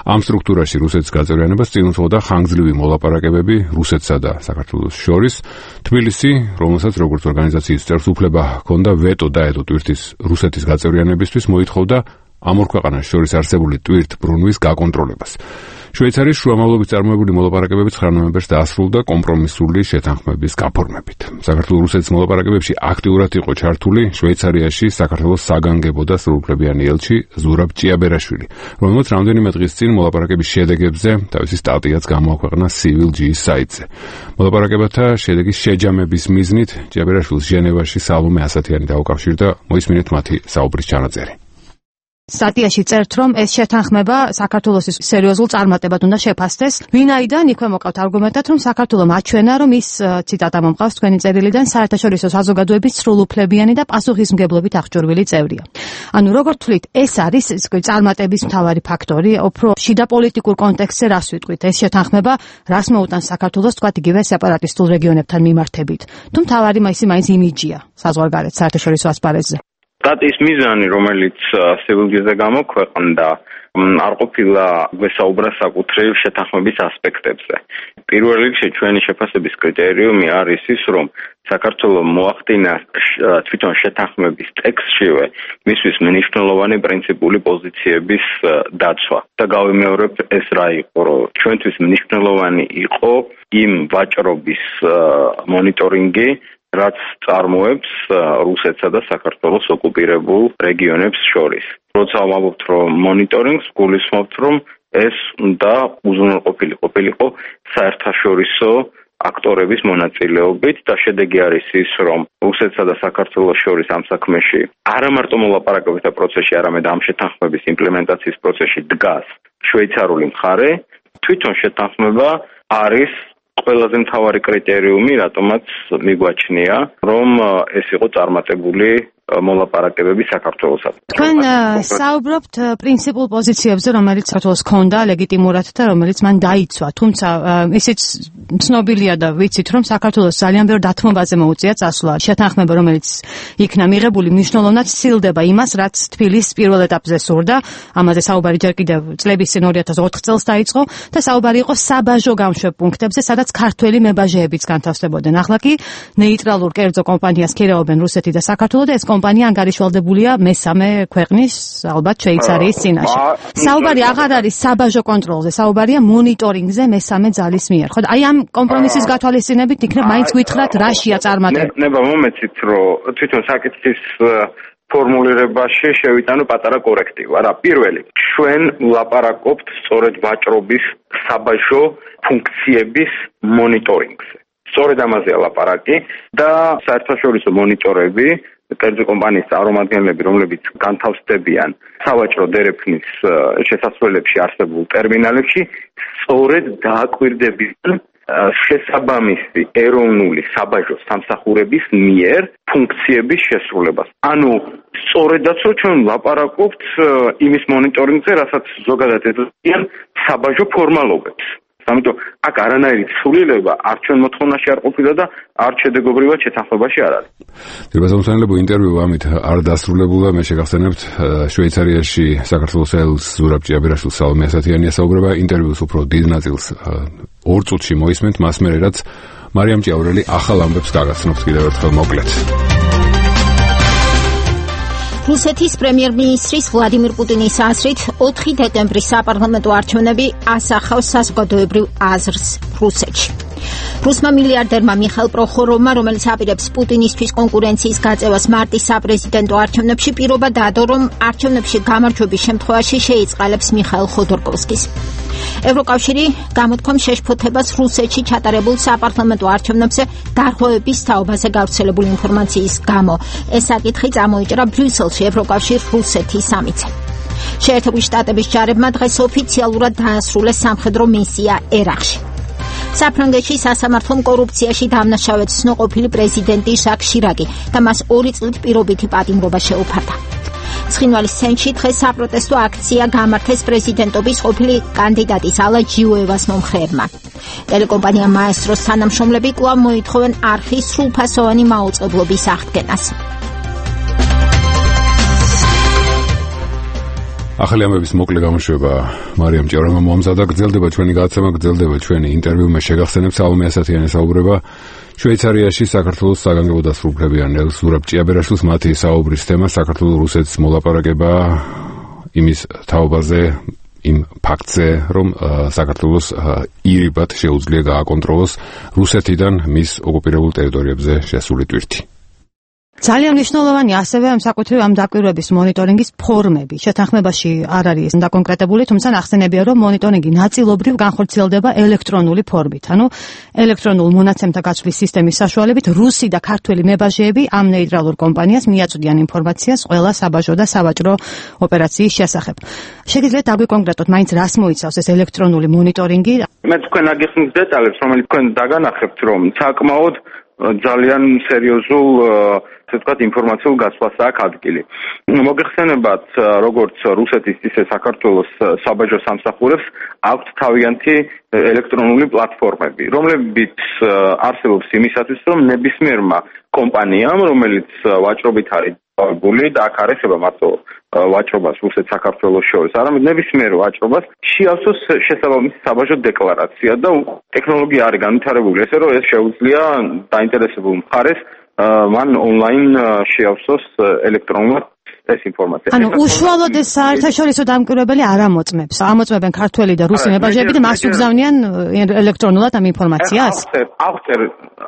Speaker 1: ამ სტრუქტურაში რუსეთის გაწევრიანებას წინ უძღოდა ხანგრძლივი მოლაპარაკებები რუსეთსა და საქართველოს შორის. თბილისი, რომელსაც როგორც ორგანიზაციის წევრს უფლება ჰქონდა ვეტო დაედო ტვირთის რუსეთის გაწევრიანებისთვის, მოითხოვდა ამ ორ ქვეყანას შორის არსებული ტვირთბრუნვის გაკონტროლებას. შვეიცარიის შუამავლობით წარმოებული მოლაპარაკებები 9 ნოემბერს დაასრულდა კომპრომისული შეთანხმების გაფორმებით. საქართველოს-რუსეთის მოლაპარაკებებში აქტიურად იყო ჩართული შვეიცარიაში საქართველოს საგანგებო და სრულუფლებიანი ელჩი ზურაბ ჭიაბერაშვილი, რომელმაც რამდენიმე დღის წინ მოლაპარაკების შედეგებზე თავისი სტატიაც გამოაქვეყნა Civil G საიტზე. მოლაპარაკებათა შედეგის შეჯამების მიზნით ჭიაბერაშვილს ჟენევაში სალომე ასათიანი დაუკავშირდა. მოისმინეთ მათი საუბრის ჩანაწერი.
Speaker 6: სტატიაში წერთ, რომ ეს შეთანხმება საქართველოს სერიოზულ წარმატებად უნდა შეფასდეს. ვინაიდან იქვე მოკავთ არგუმენტად, რომ საქართველოს აჩვენა, რომ ის ციტატა მომყავს თქვენი წერილიდან საერთაშორისო საზოგადოების სრულუფლებიანი და პასუხისმგებლობით აღჭურვილი წევრია. ანუ როგორ თვლით, ეს არის წარმატების მთავარი ფაქტორი, უფრო შიდა პოლიტიკურ კონტექსტზე რას ვიტყვით? ეს შეთანხმება რას მოუტანს საქართველოს, თქვათ იგივე სეპარატისტულ რეგიონებთან მიმართებით? თუ მთავარი მაინც იმიჯია საზღვარგარეთ საერთაშორისო ასპარეზზე?
Speaker 10: სტატიის მიზანი, რომელიც Civil-ზე გამოქვეყნდა, არ ყოფილა გვესაუბრა საკუთრივ შეთანხმების ასპექტებზე. პირველ რიგში ჩვენი შეფასების კრიტერიუმი არის ის, რომ საქართველოს მოახდინა თვითონ შეთანხმების ტექსტშივე მისთვის მნიშვნელოვანი პრინციპული პოზიციების დაცვა. და გავიმეორებ, ეს რა იყო, რომ ჩვენთვის მნიშვნელოვანი იყო იმ ვაჭრობის მონიტორინგი, რაც წარმოებს რუსეთსა და საქართველოს ოკუპირებულ რეგიონებს შორის. როცა ვამბობთ, რომ მონიტორინგს, გულისხმობთ, რომ ეს უნდა უზრუნველყოფილიყო საერთაშორისო აქტორების მონაწილეობით და შედეგი არის ის, რომ რუსეთსა და საქართველოს შორის ამ საქმეში არა მარტო მოლაპარაკებთა პროცესში, არამედ ამ შეთანხმების იმპლემენტაციის პროცესში დგას შვეიცარიული მხარე. თვითონ შეთანხმება არის ყველაზე მთავარი კრიტერიუმი, რატომაც მიგვაჩნია, რომ ეს იყო წარმატებული მოლაპარაკებები საქართველოსთან.
Speaker 6: თქვენ საუბრობთ პრინციპულ პოზიციებზე, რომელიც საქართველოს ჰქონდა ლეგიტიმურად და რომელიც მან დაიცვა. თუმცა ისიც ცნობილია და ვიცით, რომ საქართველოს ძალიან ბევრ დათმობაზე მოუწია წასვლა. შეთანხმება, რომელიც იქნა მიღებული, მნიშვნელოვნად სცილდება იმას, რაც თბილისის პირველ ეტაპზე სურდა. ამაზე საუბარი ჯერ კიდევ წლების წინ 2004 წელს დაიწყო და საუბარი იყო საბაჟო გამშვებ პუნქტებზე, სადაც ქართველი მებაჟეებიც განთავსდებოდნენ. ახლა კი ნეიტრალურ კერძო კომპანიას ქირეობენ რუსეთი და საქართველო და ეს კომპანია ანგარიშვალდებულია მესამე ქვეყნის, ალბათ შვეიცარიის წინაშე. საუბარი აღარ არის საბაჟო კონტროლზე, საუბარია მონიტორინგზე მესამე ძალის მიერ. ხო, აი ამ კომპრომისის გათვალისწინებით იქნებ მაინც გითხრათ რაშია წარმატება.
Speaker 10: ნება მომეცით, რომ თვითონ საკითხის ფორმულირებაში შევიტანო პატარა კორექტივა. რა, პირველი, ჩვენ ვლაპარაკობთ სწორედ ვაჭრობის საბაჟო ფუნქციების მონიტორინგზე. სწორედ ამაზეა ლაპარაკი და საერთაშორისო მონიტორები კერძო კომპანიის წარმომადგენლები, რომლებიც განთავსდებიან სავაჭრო დერეფნის შესასვლელებში არსებულ ტერმინალებში, სწორედ დააკვირდებიან შესაბამისი ეროვნული საბაჟო სამსახურების მიერ ფუნქციების შესრულებას. ანუ სწორედაც რომ ჩვენ ვლაპარაკობთ იმის მონიტორინგზე, რასაც ზოგადად ეძებიან საბაჟო ფორმალობებს. ამიტომ აქ არანაირი ცვლილება არ ჩვენ მოთხოვნაში არ ყოფილა და არ შედეგობრივად შეთანხმებაში არ არის.
Speaker 1: დილბაზონსანლებო ინტერვიუ ამით არ დასრულებულა. მე შეგახსენებთ შვეიცარიაში საქართველოს ელს ზურაბ ჭიაბერაშვილს სალომე ასათიანია საუბრება. ინტერვიუს უფრო დიდ ნაწილს 2 წუთში მოისმენთ, მას მერე რაც მარიამ ჭიაურელი ახალ ამბებს გაგაცნობთ კიდევ ერთხელ მოკლედ.
Speaker 2: რუსეთის პრემიერ-მინისტრის ვლადიმირ პუტინის აზრით 4 დეკემბრის საპარლამენტო არჩევნები ასახავს საზოგადოებრივ აზრს რუსეთში. რუსმა მილიარდერმა მიხაილ პროხოროვმა, რომელიც აპირებს პუტინისთვის კონკურენციის გაწევას მარტის საპრეზიდენტო არჩევნებში, პირობა დადო, რომ არჩევნებში გამარჯვების შემთხვევაში შეიწყალებს მიხაილ ხოდორკოვსკის. ევროკავშირი გამოთქვამს შეშფოთებას რუსეთში ჩატარებულ საპარლამენტო არჩევნებზე დარღვევების თაობაზე გავრცელებული ინფორმაციის გამო. ეს საკითხი წამოიჭრა ბრიუსელში ევროკავშირ-რუსეთის სამიტზე. შეერთებული შტატების ჯარებმა დღეს ოფიციალურად დაასრულეს სამხედრო მისია ერაყში. საფრანგეთში სასამართლომ კორუფციაში დამნაშავედ ცნო ყოფილი პრეზიდენტი ჟაკ შირაკი და მას 2 წლით პირობითი პატიმრობა შეუფარდა. ცხინვალის ცენტრში დღეს საპროტესტო აქცია გამართეს პრეზიდენტობის ყოფილი კანდიდატის ალა ჯიუევას მომხრეებმა. ტელეკომპანია მაესტროს თანამშრომლები კვლავ მოითხოვენ არხის სრულფასოვანი მაუწყებლობის აღდგენას.
Speaker 1: ახალი ამბების მოკლე გამოშვება მარიამ ჭიაურელმა მოამზადა. გრძელდება ჩვენი გადაცემა, გრძელდება ჩვენი ინტერვიუ. მე შეგახსენებ სალომე ასათიანი საუბრება შვეიცარიაში საქართველოს საგანგებო დასრულებიან ელს ზურაბ ჭიაბერაშვილს. მათი საუბრის თემა საქართველოს-რუსეთის მოლაპარაკება იმის თაობაზე, იმ ფაქტზე, რომ საქართველოს ირიბად შეუძლია გააკონტროლოს რუსეთიდან მის ოკუპირებულ ტერიტორიებზე შესული ტვირთი.
Speaker 6: ძალიან მნიშვნელოვანი ასევე ამ საკუთრივ ამ დაკვირვების მონიტორინგის ფორმები. შეთანხმებაში არ არის დაკონკრეტებული, თუმცა ნახსენებია, რომ მონიტორინგი ნაწილობრივ განხორციელდება ელექტრონული ფორმით. ანუ ელექტრონულ მონაცემთა გაცვლის სისტემის საშუალებით რუსი და ქართველი მებაჟეები ამ ნეიტრალურ კომპანიას მიაწვდიან ინფორმაციას ყველა საბაჟო და სავაჭრო ოპერაციის შესახებ. შეგიძლიათ დაგვიკონკრეტოთ, მაინც რას მოიცავს ეს ელექტრონული მონიტორინგი?
Speaker 10: მე თქვენ აგიხსნით დეტალებს, რომელიც თქვენ დაგანახებთ, რომ საკმაოდ ძალიან სერიოზულ ასე ვთქვათ ინფორმაციულ გაცვლას აქვს ადგილი. მოგეხსენებათ, როგორც რუსეთის ისე საქართველოს საბაჟო სამსახურებს აქვთ თავიანთი ელექტრონული პლატფორმები, რომლებიც არსებობს იმისათვის, რომ ნებისმიერმა კომპანიამ, რომელიც ვაჭრობით არის დაკავებული და აქ არ ეხება მარტო ვაჭრობას რუსეთ-საქართველოს შორის, არამედ ნებისმიერ ვაჭრობას შეავსოს შესაბამისი საბაჟო დეკლარაცია და ტექნოლოგია არის განვითარებული ესე, რომ ეს შეუძლია დაინტერესებულ მხარეს მან ონლაინ შეავსოს ელექტრონულად ეს ინფორმაცია.
Speaker 6: ანუ უშუალოდ ეს საერთაშორისო დამკვირვებელი არ ამოწმებს. ამოწმებენ ქართველი და რუსი მებაჟეები და მას უგზავნიან ელექტრონულად ამ ინფორმაციას?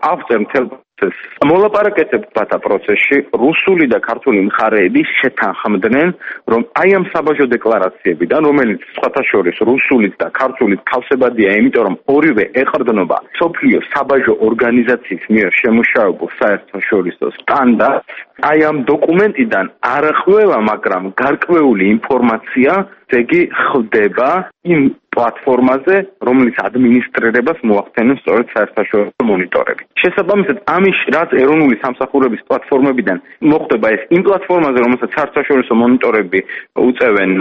Speaker 10: აღწერ მთელ პროცესს. მოლაპარაკებათა პროცესში რუსული და ქართული მხარეები შეთანხმდნენ, რომ აი ამ საბაჟო დეკლარაციებიდან, რომელიც სხვათა შორის რუსულით და ქართულით თავსებადია, იმიტომ რომ ორივე ეყრდნობა მსოფლიო საბაჟო ორგანიზაციის მიერ შემუშავებულ საერთაშორისო სტანდარტს, აი ამ დოკუმენტიდან არ ხვევა, მაგრამ გარკვეული ინფორმაცია ზეგი ხდება იმ პლატფორმაზე, რომლის ადმინისტრირებას მოახდენენ სწორედ საერთაშორისო მონიტორები. შესაბამისად, ამის რაც ეროვნული სამსახურების პლატფორმებიდან მოხდება ეს იმ პლატფორმაზე, რომელსაც საერთაშორისო მონიტორები უწევენ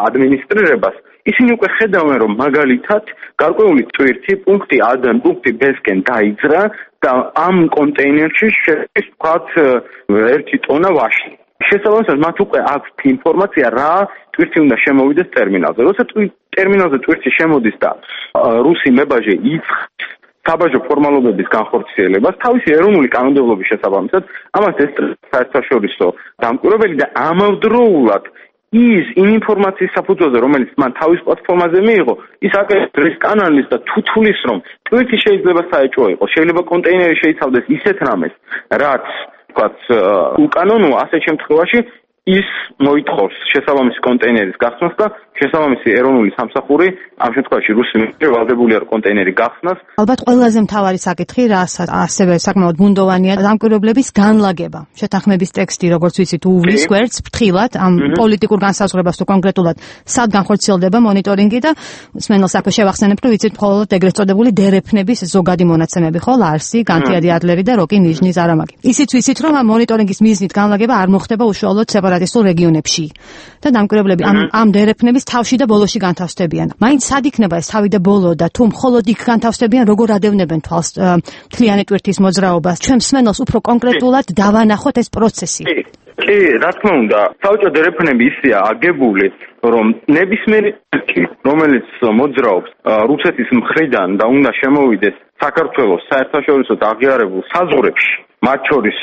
Speaker 10: ადმინისტრირებას, ისინი უკვე ხედავენ, რომ მაგალითად გარკვეული ტვირთი პუნქტი A-დან პუნქტი B-სკენ დაიძრა და ამ კონტეინერში შედის ვთქვათ 1 ტონა ვაში. შესაბამისად, მათ უკვე აქვთ ინფორმაცია, რა ტვირთი უნდა შემოვიდეს ტერმინალზე. როცა ტერმინალზე ტვირთი შემოდის და რუსი მებაჟე იწყებს საბაჟო ფორმალობების განხორციელებას თავისი ეროვნული კანონმდებლობის შესაბამისად, ამას ესწრებს საერთაშორისო დამკვირვებელი და ამავდროულად ის იმ ინფორმაციის საფუძველზე, რომელიც მან თავის პლატფორმაზე მიიღო, ის აკეთებს კანალის და თუთulis, რომ ტვირთი შეიძლება საეჭვო იყოს, შეიძლება კონტეინერი შეიცავდეს ისეთ რამეს, რაც ვთქვათ უკანონოა, ასეთ შემთხვევაში ის მოითხოვს შესაბამისი კონტეინერის გახსნას და შესაბამისი ეროვნული სამსახური ამ შემთხვევაში რუსი მიერ ვალდებული არ კონტეინერი გახსნას.
Speaker 6: ალბათ ყველაზე მთავარი საკითხი, რასაც ასევე საკმაოდ ბუნდოვანია, დამკვირვებლების განლაგება. შეთანხმების ტექსტი, როგორც ვიცით, უვლის გვერდს ფრთხილად ამ პოლიტიკურ განსაზღვრებას თუ კონკრეტულად სად განხორციელდება მონიტორინგი და მსმენელს აქვე შევახსენებ, რომ ვიცით მხოლოდ ეგრეთ წოდებული დერეფნების ზოგადი მონაცემები ხო, ლარსი, განთიადი ადლერი და როკი ნიჟნი ზარამაგი. ისიც ვიცით, რომ ამ მონიტორინგის მიზნით განლაგება არ მოხდება უშუალოდ სეპარატისტულ რეგიონებში და დამკვირვებლები ამ დერეფნების თავში და ბოლოში განთავსდებიან. მაინც სად იქნება ეს თავი და ბოლო და თუ მხოლოდ იქ განთავსდებიან, როგორ ადევნებენ თვალს მთლიანი ტვირთის მოძრაობას? ჩვენ მსმენელს უფრო კონკრეტულად დავანახოთ ეს პროცესი.
Speaker 10: კი, რა თქმა უნდა, საბჭო დერეფნები ისეა აგებული, რომ ნებისმიერი რომელიც მოძრაობს რუსეთის მხრიდან და უნდა შემოვიდეს საქართველოს საერთაშორისო აღიარებულ საზღვრებში, მათ შორის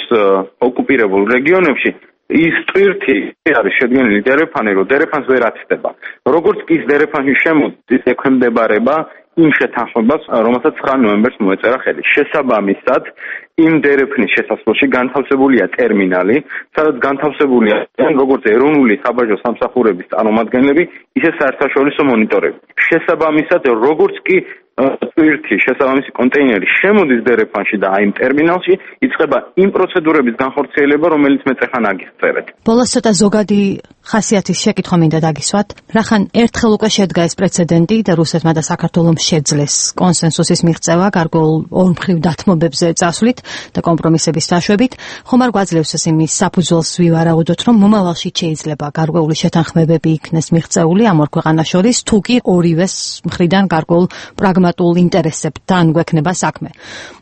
Speaker 10: ოკუპირებულ რეგიონებში, ის ტვირთი არის შედგენილი დერეფანი, რომ დერეფანს ვერ აცდება. როგორც კი ის დერეფანში შემოდის, ის ექვემდებარება იმ შეთანხმებას, რომელსაც 9 ნოემბერს მოეწერა ხელი. შესაბამისად, იმ დერეფნის შესასვლელში განთავსებულია ტერმინალი, სადაც განთავსებულია როგორც ეროვნული საბაჟო სამსახურების წარმომადგენლები, ისე საერთაშორისო მონიტორები. შესაბამისად, როგორც კი ტვირთი შესაბამისი კონტეინერი შემოდის დერეფანში და აი იმ ტერმინალში იწყება იმ პროცედურების განხორციელება, რომელიც მე წეხან აგისწერეთ.
Speaker 6: ბოლოს ცოტა ზოგადი ხასიათის შეკითხვა მინდა დაგისვათ. რახან ერთხელ უკვე შედგა ეს პრეცედენტი და რუსეთმა და საქართველომ შეძლეს კონსენსუსის მიღწევა გარკვეულ ორმხრივ დათმობებზე წასვლით და კომპრომისების დაშვებით, ხომ არ გვაძლევს ეს იმის საფუძველს ვივარაუდოთ, რომ მომავალში შეიძლება გარკვეული შეთანხმებები იქნეს მიღწეული ამ ორ ქვეყანას შორის, თუ კი ორივეს მხრიდან გარკვეულ პრაგმატულ ინტერესებთან გვექნება საქმე.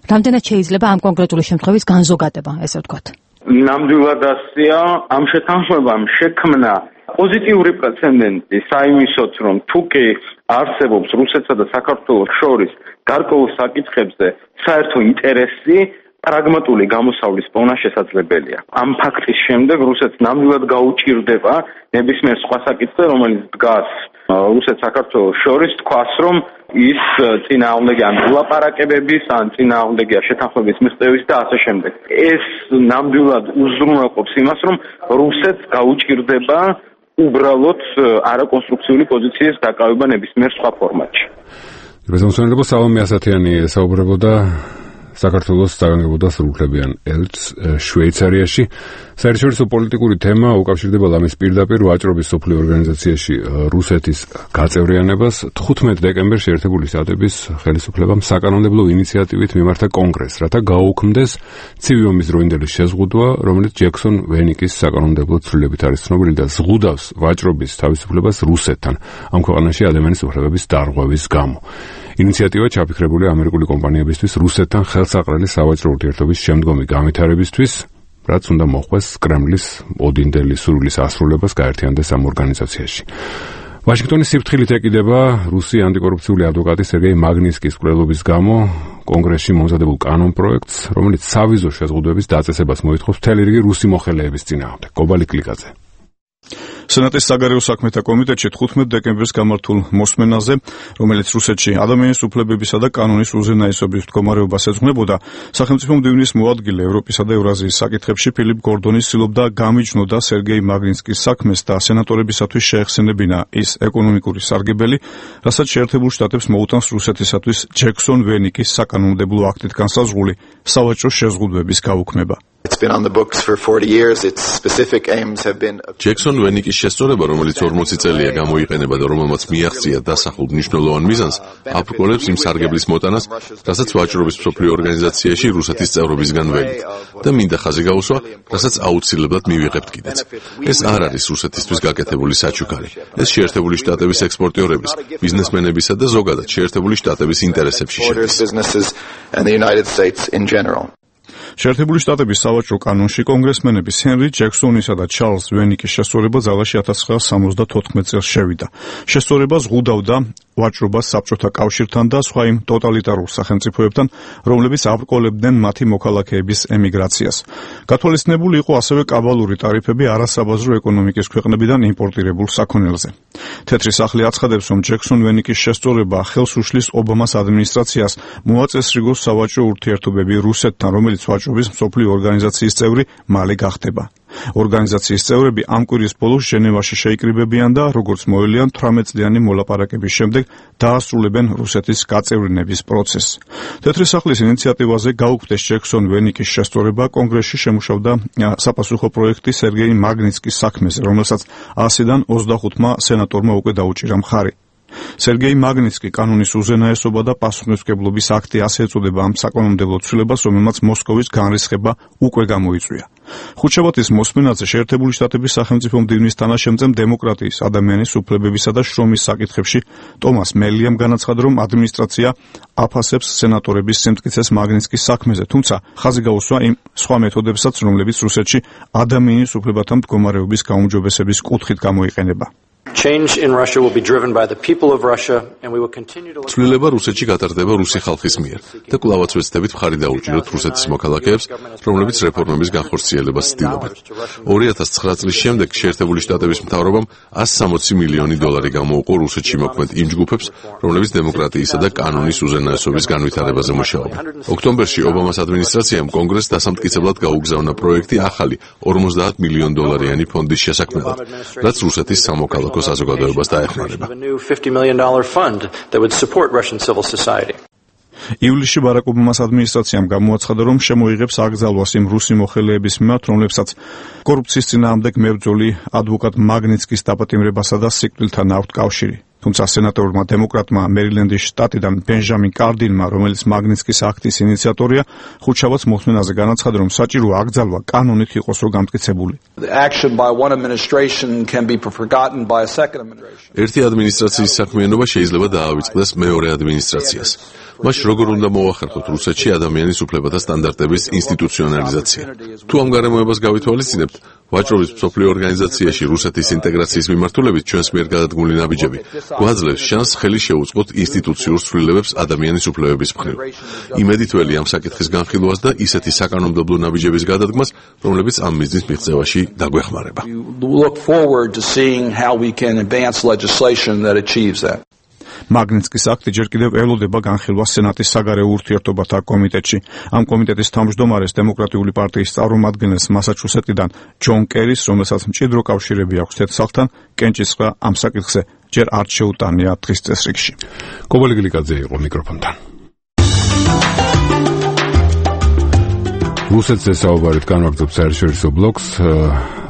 Speaker 6: რამდენად შეიძლება ამ კონკრეტული შემთხვევის განზოგადება, ესე ვთქვათ?
Speaker 10: ნამდვილად ასეა, ამ შეთანხმებამ შექმნა პოზიტიური პრეცედენტი საიმისოთ, რომ თუ კი არსებობს რუსეთსა და საქართველოს შორის გარკვეულ საკითხებზე საერთო ინტერესი, პრაგმატული გამოსავლის პოვნა შესაძლებელია. ამ ფაქტის შემდეგ რუსეთს ნამდვილად გაუჭირდება ნებისმიერ სხვა საკითხზე, რომელიც დგას რუსეთ-საქართველოს შორის, თქვას, რომ ის წინააღმდეგია ლაპარაკებების, ან წინააღმდეგია შეთანხმების მიღწევის და ასე შემდეგ. ეს ნამდვილად უზრუნველყოფს იმას, რომ რუსეთს გაუჭირდება უბრალოდ არაკონსტრუქციული პოზიციის დაკავება ნებისმიერ სხვა ფორმატში.
Speaker 1: რეზონანსურებო სალომე ასათიანი საუბრებოდა საქართველოს საგანგებო სრულუფლებიან ელჩს შვეიცარიაში. საერთაშორისო პოლიტიკური თემა უკავშირდება ლამის პირდაპირ ვაჭრობის სოფლიო ორგანიზაციაში რუსეთის გაწევრიანებას. 15 დეკემბერში ერთებული შტატების ხელისუფლებამ საკანონმდებლო ინიციატივით მიმართა კონგრესს, რათა გაუქმდეს ცივი ომის დროინდელი შეზღუდვა, რომელიც ჯექსონ ვენიკის საკანონმდებლო ცვლილებით არის ცნობილი და ზღუდავს ვაჭრობის თავისუფლებას რუსეთთან ამ ქვეყანაში ადამიანის უფლებების დარღვევის გამო. ინიციატივა ჩაფიქრებულია ამერიკული კომპანიებისთვის რუსეთთან ხელსაყრელი სავაჭრო ურთიერთობის შემდგომი განვითარებისთვის, რაც უნდა მოხვდეს კრემლის ოდინდელი სურვილის ასრულებას გაერთიანდეს ამ ორგანიზაციაში. ვაშინგტონის სიფრთხილით ეკიდება რუსი ანტიკორუფციული ადვოკატი სერგეი მაგნისკის მკვლელობის გამო კონგრესში მომზადებულ კანონპროექტს, რომელიც სავიზო შეზღუდვების დაწესებას მოითხოვს მთელი რიგი რუსი მოხელეების წინააღმდეგ. კობალი კლიკაძე.
Speaker 4: სენატის საგარეო საქმეთა კომიტეტში 15 დეკემბერს გამართულ მოსმენაზე, რომელიც რუსეთში ადამიანის უფლებებისა და კანონის უზენაესობის მდგომარეობას ეძღვნებოდა, სახელმწიფო მდივნის მოადგილე ევროპისა და ევრაზიის საკითხებში ფილიპ გორდონი ცდილობდა გამიჯნოდა სერგეი მაგნიტსკის საქმეს და სენატორებისათვის შეეხსენებინა ის ეკონომიკური სარგებელი, რასაც შეერთებულ შტატებს მოუტანს რუსეთისათვის ჯექსონ ვენიკის საკანონმდებლო აქტით განსაზღვრული სავაჭრო შეზღუდვების გაუქმება.
Speaker 7: ჯექსონ ვენიკის შესწორება, რომელიც 40 წელია გამოიყენება და რომელმაც მიაღწია დასახულ მნიშვნელოვან მიზანს, აბრკოლებს იმ სარგებლის მოტანას, რასაც ვაჭრობის მსოფლიო ორგანიზაციაში რუსეთის წევრობისგან ვენით და მინდა ხაზი გაუსვა, რასაც აუცილებლად მივიღებთ კიდეც. ეს არ არის რუსეთისთვის გაკეთებული საჩუქარი. ეს შეერთებული შტატების ექსპორტიორების, ბიზნესმენებისა და ზოგადად შეერთებული შტატების ინტერესებში შედის.
Speaker 4: შეერთებული შტატების სავაჭრო კანონში კონგრესმენების ჰენრი ჯექსონისა და ჩარლზ ვენიკის შესწორება ძალაში 1974 წელს შევიდა. შესწორება ზღუდავდა ვაჭრობას საბჭოთა კავშირთან და სხვა იმ ტოტალიტარულ სახელმწიფოებთან, რომლებიც აბრკოლებდნენ მათი მოქალაქეების ემიგრაციას. გათვალისწინებული იყო ასევე კაბალური ტარიფები არასაბაზრო ეკონომიკის ქვეყნებიდან იმპორტირებულ საქონელზე. თეთრი სახლი აცხადებს, რომ ჯექსონ ვენიკის შესწორება ხელს უშლის ობამას ადმინისტრაციას მოაწესრიგოს სავაჭრო ურთიერთობები რუსეთთან, რომელიც ვაჭრობის მსოფლიო ორგანიზაციის წევრი მალე გახდება. ორგანიზაციის წევრები ამ კვირის ბოლოს ჟენევაში შეიკრიბებიან და როგორც მოელიან 18 წლიანი მოლაპარაკების შემდეგ დაასრულებენ რუსეთის გაწევრიანების პროცესს. თეთრი სახლის ინიციატივაზე გაუქმდეს ჯექსონ ვენიკის შესწორება კონგრესში შემუშავდა საპასუხო პროექტი სერგეი მაგნიტსკის საქმეზე, რომელსაც 100-დან 25-მა სენატორმა უკვე დაუჭირა მხარი. სერგეი მაგნიტსკი კანონის უზენაესობა და პასუხისმგებლობის აქტი ასე ეწოდება ამ საკანონმდებლო ცვლილებას, რომელმაც მოსკოვის განრისხება უკვე გამოიწვია. ხუთშაბათის მოსმენაზე შეერთებული შტატების სახელმწიფო მდივნის თანაშემწემ დემოკრატიის, ადამიანის უფლებებისა და შრომის საკითხებში ტომას მელიამ განაცხადა, რომ ადმინისტრაცია აფასებს სენატორების სიმტკიცეს მაგნიტსკის საქმეზე, თუმცა ხაზი გაუსვა იმ სხვა მეთოდებსაც, რომლებიც რუსეთში ადამიანის უფლებათა მდგომარეობის გაუმჯობესების კუთხით გამოიყენება.
Speaker 7: ცვლილება რუსეთში გატარდება რუსი ხალხის მიერ და კვლავაც ვეცდებით მხარი დაუჭიროთ რუსეთის მოქალაქეებს, რომლებიც რეფორმების განხორციელებას ცდილობენ. 2009 წლის შემდეგ შეერთებული შტატების მთავრობამ 160 მილიონი დოლარი გამოუყო რუსეთში მოქმედ იმ ჯგუფებს, რომლებიც დემოკრატიისა და კანონის უზენაესობის განვითარებაზე მუშაობენ. ოქტომბერში ობამას ადმინისტრაციამ კონგრესს დასამტკიცებლად გაუგზავნა პროექტი ახალი 50 მილიონ დოლარიანი ფონდის შესაქმნელად, რაც რუსეთის სამოქალაქო საზოგადოებას დაეხმარება.
Speaker 4: ივლისში ბარაკ ობამას ადმინისტრაციამ გამოაცხადა, რომ შემოიღებს აკრძალვას იმ რუსი მოხელეების მიმართ, რომლებსაც კორუფციის წინააღმდეგ მებრძოლი ადვოკატ მაგნიტსკის დაპატიმრებასა და სიკვდილთან აქვთ კავშირი. თუმცა სენატორმა დემოკრატმა მერილენდის შტატიდან ბენჟამინ კარდინმა, რომელიც მაგნიტსკის აქტის ინიციატორია, ხუთშაბათს მოსმენაზე განაცხადა, რომ საჭიროა აკრძალვა კანონით იყოს რო გამტკიცებული.
Speaker 7: ერთი ადმინისტრაციის საქმიანობა შეიძლება დაავიწყდეს მეორე ადმინისტრაციას. მას როგორ უნდა მოახერხოთ რუსეთში ადამიანის უფლებათა სტანდარტების ინსტიტუციონალიზაცია? თუ ამ გარემოებას გავითვალისწინებთ, ვაჭრობის მსოფლიო ორგანიზაციაში რუსეთის ინტეგრაციის მიმართულებით ჩვენს მიერ გადადგმული ნაბიჯები გვაძლევს შანსს ხელი შეუწყოთ ინსტიტუციურ ცვლილებებს ადამიანის უფლებების მხრივ. იმედითველი ამ საკითხის განხილვას და ისეთი საკანონმდებლო ნაბიჯების გადადგმას, რომლებიც ამ მიზნის მიღწევაში დაგვეხმარება.
Speaker 4: მაგნიტსკის აქტი ჯერ კიდევ ელოდება განხილვას სენატის საგარეო ურთიერთობათა კომიტეტში. ამ კომიტეტის თავმჯდომარეს დემოკრატიული პარტიის წარმომადგენელს მასაჩუსეტიდან ჯონ კერის, რომელსაც მჭიდრო კავშირები აქვს თეთრ სახლთან, კენჭისყრა ამ საკითხზე ჯერ არ შეუტანია დღის წესრიგში.
Speaker 1: კობალი გლიკაძე იყო მიკროფონთან. რუსეთზე საუბარით განვაგრძობ საერთაშორისო ბლოკს.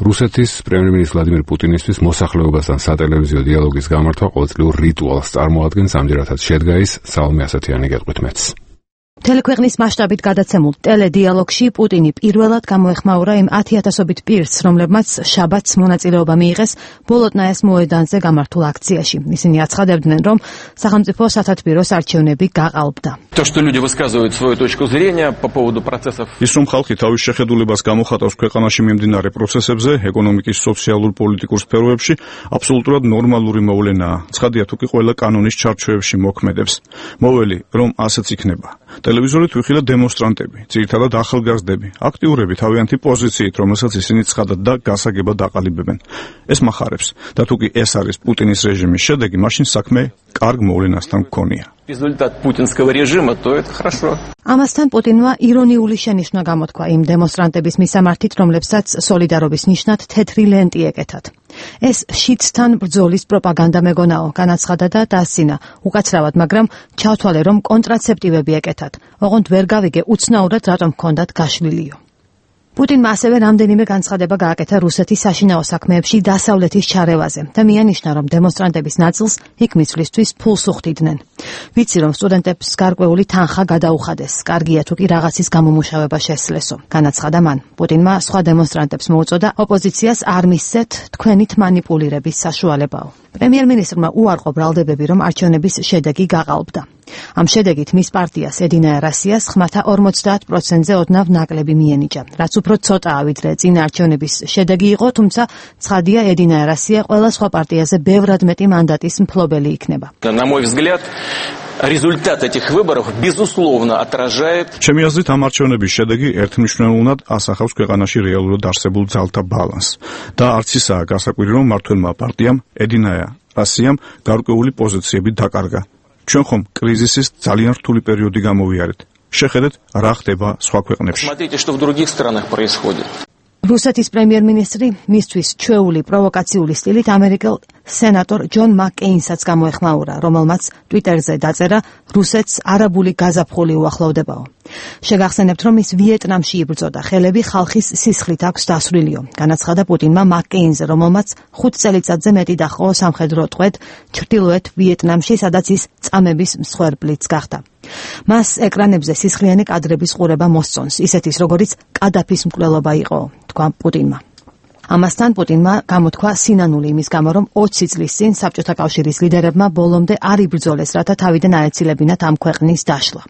Speaker 1: რუსეთის პრემიერ-მინისტრის ვლადიმერ პუტინისთვის მოსახლეობასთან სატელევიზიო დიალოგის გამართვა ყოველწლიურ რიტუალს წარმოადგენს, ამჯერადაც შედგა ის საომე ასათიანი გეტყვით მეც.
Speaker 6: თელექვეყნის მასშტაბით გადაცემულ ტელედიალოგში პუტინი პირველად გამოეხმაურა იმ 10,000-ობით პირს, რომლებმაც შაბათს მონაწილეობა მიიღეს ბოლოტნაიას მოედანზე გამართულ აქციაში. ისინი აცხადებდნენ, რომ სახელმწიფო სათათბიროს არჩევნები გაყალბდა.
Speaker 4: ის რომ ხალხი თავის შეხედულებას გამოხატავს ქვეყანაში მიმდინარე პროცესებზე, ეკონომიკის, სოციალურ-პოლიტიკურ სფეროებში, აბსოლუტურად ნორმალური მოვლენაა. ცხადია, თუ კი ყველა კანონის ჩარჩოებში მოქმედებს. მოველი, რომ ასეც იქნება. ტელევიზორით ვიხილეთ დემონსტრანტები, ძირითადად ახალგაზრდები, აქტიურები თავიანთი პოზიციით, რომელსაც ისინი ცხადად და გასაგებად აყალიბებენ. ეს מחარებს და თუ კი ეს არის პუტინის რეჟიმის შედეგი, მაშინ საქმე კარგ მოვლენასთან გქონია.
Speaker 11: Результат путинского режима, то это хорошо.
Speaker 6: ამასთან პუტინმა ირონიული შენიშვნა გამოთქვა იმ დემონსტრანტების მისამართით, რომლებსაც სოლიდარობის ნიშნად თეთრი ლენტი ეკეთათ. ეს შიდსთან ბრძოლის პროპაგანდა მეგონაო, განაცხადა და დასცინა უკაცრავად, მაგრამ ჩავთვალე, რომ კონტრაცეპტივები ეკეთათ. ოღონდ ვერ გავიგე უცნაურად რატომ ჰქონდათ გაშლილიო. პუტინმა ასევე რამდენიმე განცხადება გააკეთა რუსეთის საშინაო საქმეებში დასავლეთის ჩარევაზე და მიანიშნა, რომ დემონსტრანტების ნაწილს იქ მისვლისთვის ფულს უხდიდნენ. ვიცი, რომ სტუდენტებს გარკვეული თანხა გადაუხადეს, კარგია თუ კი რაღაცის გამომუშავება შესძლესო, განაცხადა მან. პუტინმა სხვა დემონსტრანტებს მოუწოდა ოპოზიციას არ მისცეთ თქვენით მანიპულირების საშუალებაო. პრემიერ-მინისტრმა უარყო ბრალდებები, რომ არჩევნების შედეგი გაყალბდა. ამ შედეგით მის პარტიას ედინაია რასიას ხმათა 50%-ზე ოდნავ ნაკლები მიენიჭა, რაც უფრო ცოტაა ვიდრე წინა არჩევნების შედეგი იყო, თუმცა ცხადია ედინაია რასია ყველა სხვა პარტიაზე ბევრად მეტი მანდატის მფლობელი იქნება.
Speaker 11: На мой взгляд, результат этих выборов безусловно отражает.
Speaker 4: ჩემი აზრით, ამ არჩევნების შედეგი ერთმნიშვნელოვნად ასახავს ქვეყანაში რეალურად არსებულ ძალთა ბალანსს და არც ისაა გასაკვირი, რომ მმართველმა პარტიამ ედინაია რასიამ გარკვეული პოზიციები დაკარგა. ჩვენ ხომ კრიზისის ძალიან რთული პერიოდი გამოვიარეთ. შეხედეთ, რა ხდება სხვა ქვეყნებში.
Speaker 11: Смотрите, что в других странах происходит.
Speaker 6: რუსეთის პრემიერ-მინისტრი მისთვის ჩვეული პროვოკაციული სტილით ამერიკელ სენატორ ჯონ მაკკეინსაც გამოეხმაურა, რომელმაც ტვიტერზე დაწერა რუსეთს არაბული გაზაფხული უახლოვდებაო. შეგახსენებთ, რომ ის ვიეტნამში იბრძოდა, ხელები ხალხის სისხლით აქვს დასრულიო, განაცხადა პუტინმა მაკკეინზე, რომელმაც 5 წელიწადზე მეტი დაჰყო სამხედრო ტყვედ ჩრდილოეთ ვიეტნამში, სადაც ის წამების მსხვერპლიც გახდა. მას ეკრანებზე სისხლიანი კადრების ყურება მოსწონს, ისეთის როგორიც კადაფის მკვლელობა იყო, თქვა პუტინმა. ამასთან პუტინმა გამოთქვა სინანული იმის გამო, რომ 20 წლის წინ საბჭოთა კავშირის ლიდერებმა ბოლომდე არ იბრძოლეს, რათა თავიდან აეცილებინათ ამ ქვეყნის დაშლა.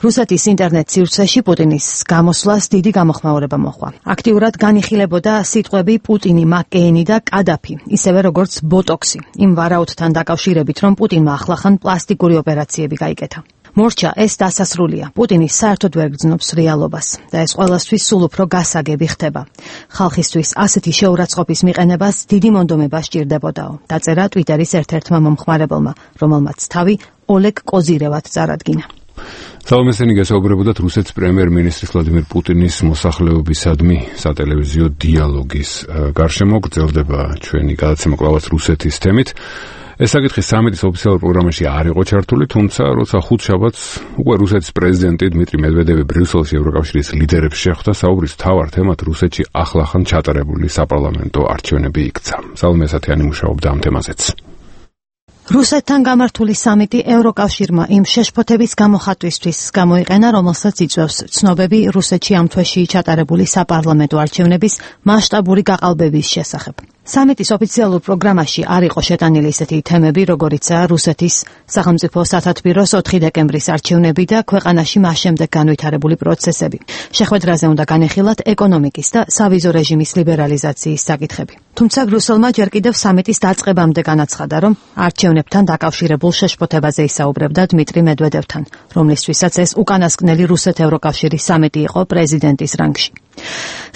Speaker 6: რუსეთის ინტერნეტ სივრცეში პუტინის გამოსვლას დიდი გამოხმაურება მოჰყვა. აქტიურად განიხილებოდა სიტყვები პუტინი, მაკკეინი და კადაფი, ისევე როგორც ბოტოქსი, იმ ვარაუდთან დაკავშირებით, რომ პუტინმა ახლახან პლასტიკური ოპერაციები გაიკეთა. მორჩა ეს დასასრულია. პუტინი საერთოდ ვერ გრძნობს რეალობას და ეს ყველასთვის სულ უფრო გასაგები ხდება. ხალხისთვის ასეთი შეურაცხყოფის მიყენებას დიდი მონდომება სჭირდებოდაო, დაწერა ტვიტერის ერთ-ერთმა მომხმარებელმა, რომელმაც თავი ოლეგ კოზირევად წარადგინა.
Speaker 1: თავმესენი გასაუბრებოდათ რუსეთის პრემიერ-მინისტრის ვლადიმერ პუტინის მოსახლეობისადმი სატელევიზიო დიალოგის გარშემო. გრძელდება ჩვენი გადაცემა კვლავაც რუსეთის თემით. ეს საკითხი სამედიის ოფიციალურ პროგრამაში არ იყო ჩართული, თუმცა როცა ხუთშაბათს უკვე რუსეთის პრეზიდენტი დმიტრი მედვედევი ბრიუსელში ევროკავშირის ლიდერებს შეხვდა, საუბრის მთავარ თემად რუსეთში ახლახან ჩატარებული საპარლამენტო არჩევნები იქცა. სალომე ასათიანი მუშაობდა ამ თემაზეც.
Speaker 6: რუსეთთან გამართული სამიტი ევროკავშირმა იმ შეშფოთების გამოხატვისთვის გამოიყენა, რომელსაც იწვევს ცნობები რუსეთში ამ თვეში ჩატარებული საპარლამენტო არჩევნების მასშტაბური გაყალბების შესახებ. სამიტის ოფიციალურ პროგრამაში არ იყო შეტანილი ისეთი თემები, როგორიცაა რუსეთის სახელმწიფო სათათბიროს 4 დეკემბრის არჩევნები და ქვეყანაში მას შემდეგ განვითარებული პროცესები. შეხვედრაზე უნდა განეხილათ ეკონომიკის და სავიზო რეჟიმის ლიბერალიზაციის საკითხები. თუმცა ბრიუსელმა ჯერ კიდევ სამიტის დაწყებამდე განაცხადა, რომ არჩევნებთან დაკავშირებულ შეშფოთებაზე ისაუბრებდა დმიტრი მედვედევთან, რომლისთვისაც ეს უკანასკნელი რუსეთ-ევროკავშირის სამიტი იყო პრეზიდენტის რანგში.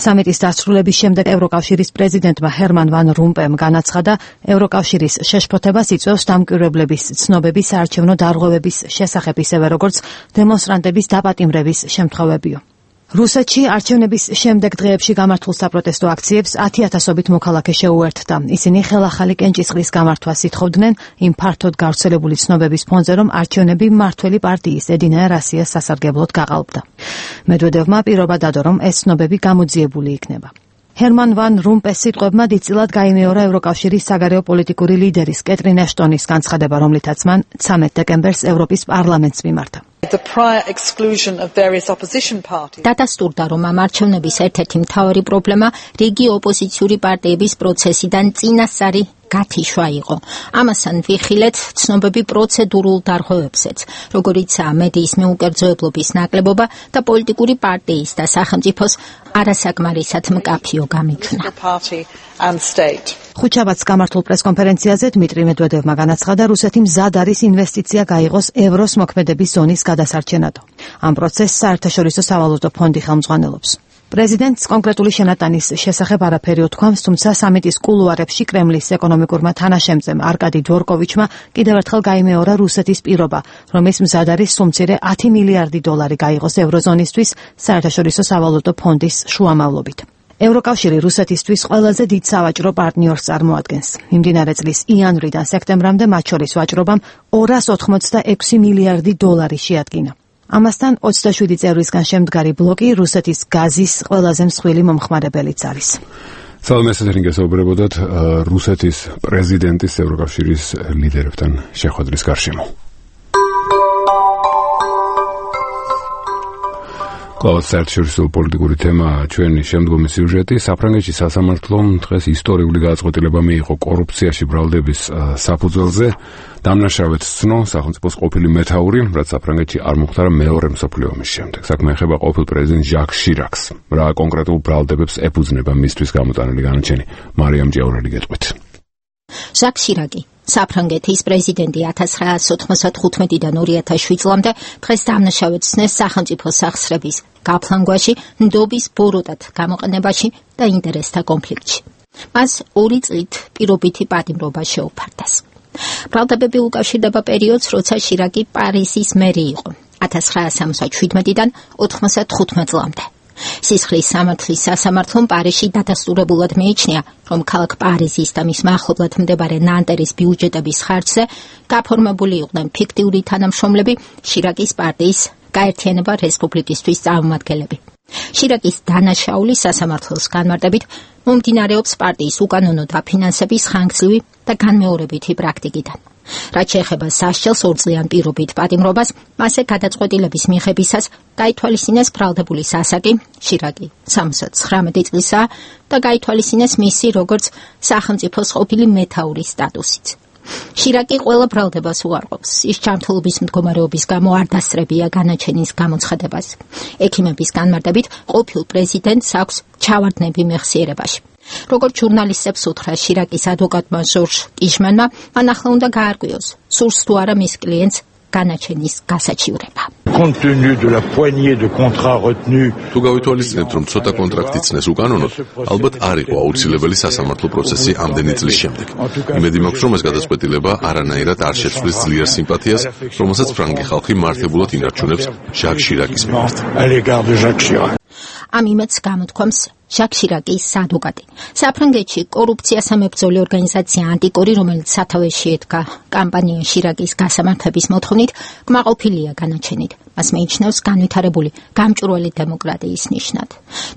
Speaker 6: სამიტის დასრულების შემდეგ ევროკავშირის პრეზიდენტმა ჰერმან ვან რომპემ განაცხადა, ევროკავშირის შეშფოთებას იწვევს დამკვირვებლების ცნობების საარჩევნო დარღვევების შესახებ, ისევე როგორც დემონსტრანტების დაპატიმრების შემთხვევებიო. რუსეთში არჩევნების შემდეგ დღეებში გამართულ საპროტესტო აქციებს 10,000-ობით მოქალაქე შეუერთდა. ისინი ხელახალი კენჭისყრის გამართვას ითხოვდნენ იმ ფართოდ გავრცელებული ცნობების ფონზე, რომ არჩევნები მმართველი პარტიის ედინაია რასიას სასარგებლოდ გაყალბდა. მედვედევმა პირობა დადო, რომ ეს ცნობები გამოძიებული იქნება. ჰერმან ვან რომპეს სიტყვებმა დიდწილად გაიმეორა ევროკავშირის საგარეო პოლიტიკური ლიდერის კეტრინ ეშტონის განცხადება, რომლითაც მან 13 დეკემბერს ევროპის პარლამენტს მიმართა.
Speaker 2: დადასტურდა, რომ ამ არჩევნების ერთ-ერთი მთავარი პრობლემა რიგი ოპოზიციური პარტიების პროცესიდან წინასწარი გათიშვა იყო. ამასთან ვიხილეთ ცნობები პროცედურულ დარღვევებზეც, როგორიცაა მედიის მეუკერძოებლობის ნაკლებობა და პოლიტიკური პარტიის და სახელმწიფოს არასაკმარისად მკაფიო გამიჩვნა.
Speaker 6: ხუთშაბათს გამართულ პრესკონფერენციაზე დმიტრი მედვედევმა განაცხადა, რუსეთი მზად არის ინვესტიცია გაიღოს ევროს მოქმედების ზონის გადასარჩენად. ამ პროცესს საერთაშორისო სავალუტო ფონდი ხელმძღვანელობს. პრეზიდენტს კონკრეტული შენატანის შესახებ არაფერი უთქვამს, თუმცა სამიტის კულუარებში კრემლის ეკონომიკურმა თანაშემწემ არკადი დვორკოვიჩმა კიდევ ერთხელ გაიმეორა რუსეთის პირობა, რომ ის მზად არის სულ-მცირე 10 მილიარდი დოლარი გაიღოს ევროზონისთვის საერთაშორისო სავალუტო ფონდის შუამავლობით. ევროკავშირი რუსეთისთვის ყველაზე დიდ სავაჭრო პარტნიორს წარმოადგენს. მიმდინარე წლის იანვრიდან სექტემბრამდე მათ შორის ვაჭრობამ 286 მილიარდი დოლარი შეადგინა. ამასთან 27 წევრისგან შემდგარი ბლოკი რუსეთის გაზის ყველაზე მსხვილი მომხმარებელიც არის.
Speaker 1: სალმესთან გესაუბრებოდათ რუსეთის პრეზიდენტის ევროკავშირის ლიდერებთან შეხვედრის გარშემო. კლავაც საერთაშორისო პოლიტიკური თემა ჩვენი შემდგომი სიუჟეტი. საფრანგეთში სასამართლომ დღეს ისტორიული გადაწყვეტილება მიიღო კორუფციაში ბრალდების საფუძველზე. დამნაშავედ ცნო სახელმწიფოს ყოფილი მეთაური, რაც საფრანგეთში არ მოხდა მეორე მსოფლიო ომის შემდეგ. საქმე ეხება ყოფილ პრეზიდენტ ჟაკ შირაკს. რა კონკრეტულ ბრალდებებს ეფუძნება მისთვის გამოტანილი განაჩენი? მარიამ ჭიაურელი გეტყვით.
Speaker 2: ჟაკ შირაკი საფრანგეთის პრეზიდენტი 1995-დან 2007 წლამდე დღეს დამნაშავედ ცნეს სახელმწიფო სახსრების გაფლანგვაში, ნდობის ბოროტად გამოყენებაში და ინტერესთა კონფლიქტში. მას 2 წლით პირობითი პატიმრობა შეუფარდეს. ბრალდებები უკავშირდება პერიოდს, როცა შირაკი პარიზის მერი იყო 1977-დან 95 წლამდე. სისხლის სამართლის სასამართლომ პარიზში დადასტურებულად მიიჩნია, რომ ქალაქ პარიზის და მის მახლობლად მდებარე ნანტერის ბიუჯეტების ხარჯზე გაფორმებული იყვნენ ფიქტიური თანამშრომლები შირაკის პარტიის გაერთიანება რესპუბლიკისთვის წარმომადგენლები. შირაკის დანაშაული სასამართლოს განმარტებით მომდინარეობს პარტიის უკანონო დაფინანსების ხანგრძლივი და განმეორებითი პრაქტიკიდან. რაც შეეხება სასჯელს 2 წლიან პირობით პატიმრობას, მასზე გადაწყვეტილების მიღებისას გაითვალისწინეს ბრალდებული სასაკი, შირაკი 79 წლისაა და გაითვალისწინეს მისი როგორც სახელმწიფოს ყოფილი მეთაურის სტატუსიც. შირაკი ყველა ბრალდებას უარყოფს. ის ჯანმრთელობის მდგომარეობის გამო არ დასწრებია განაჩენის გამოცხადებას. ექიმების განმარტებით, ყოფილ პრეზიდენტს აქვს ჩავარდნები მეხსიერებაში. როგორც ჟურნალისტებს უთხრა შირაკის ადვოკატმა ჟორჟ კიშმანმა, მან ახლა უნდა გაარკვიოს, სურს თუ არა მის კლიენტს განაჩენის გასაჩივრება.
Speaker 7: თუ გავითვალისწინებთ, რომ ცოტა კონტრაქტი ცნეს უკანონოდ, ალბათ არ იყო აუცილებელი სასამართლო პროცესი ამდენი წლის შემდეგ. იმედი მაქვს, რომ ეს გადაწყვეტილება არანაირად არ შეცვლის ძლიერ სიმპათიას, რომელსაც ფრანგი ხალხი მართებულად ინარჩუნებს ჟაკ შირაკის მიმართ.
Speaker 2: ამ იმედს გამოთქვამს ჟაკ შირაკის ადვოკატი. საფრანგეთში კორუფციას ამებრძოლი ორგანიზაცია ანტიკორი, რომელიც სათავეში ედგა კამპანია შირაკის გასამართლების მოთხოვნით, კმაყოფილია განაჩენით. მას მიიჩნევს განვითარებული გამჭვირვალე დემოკრატიის ნიშნად.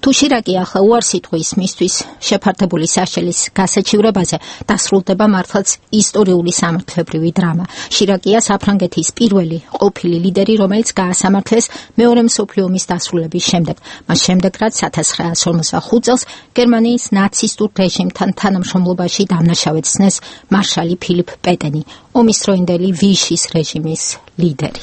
Speaker 2: თუ შირაკი ახლა უარს იტყვის მისთვის შეფართებული სასჯელის გასაჩივრებაზე, დასრულდება მართლაც ისტორიული სამართლებრივი დრამა. შირაკია საფრანგეთის პირველი ყოფილი ლიდერი, რომელიც გაასამართლეს მეორე მსოფლიო ომის დასრულების შემდეგ. მას შემდეგ, რაც 1945 წელს გერმანიის ნაცისტურ რეჟიმთან თანამშრომლობაში დამნაშავედ ცნეს მარშალი ფილიპ პეტენი, ომის დროინდელი ვიშის რეჟიმის ლიდერი.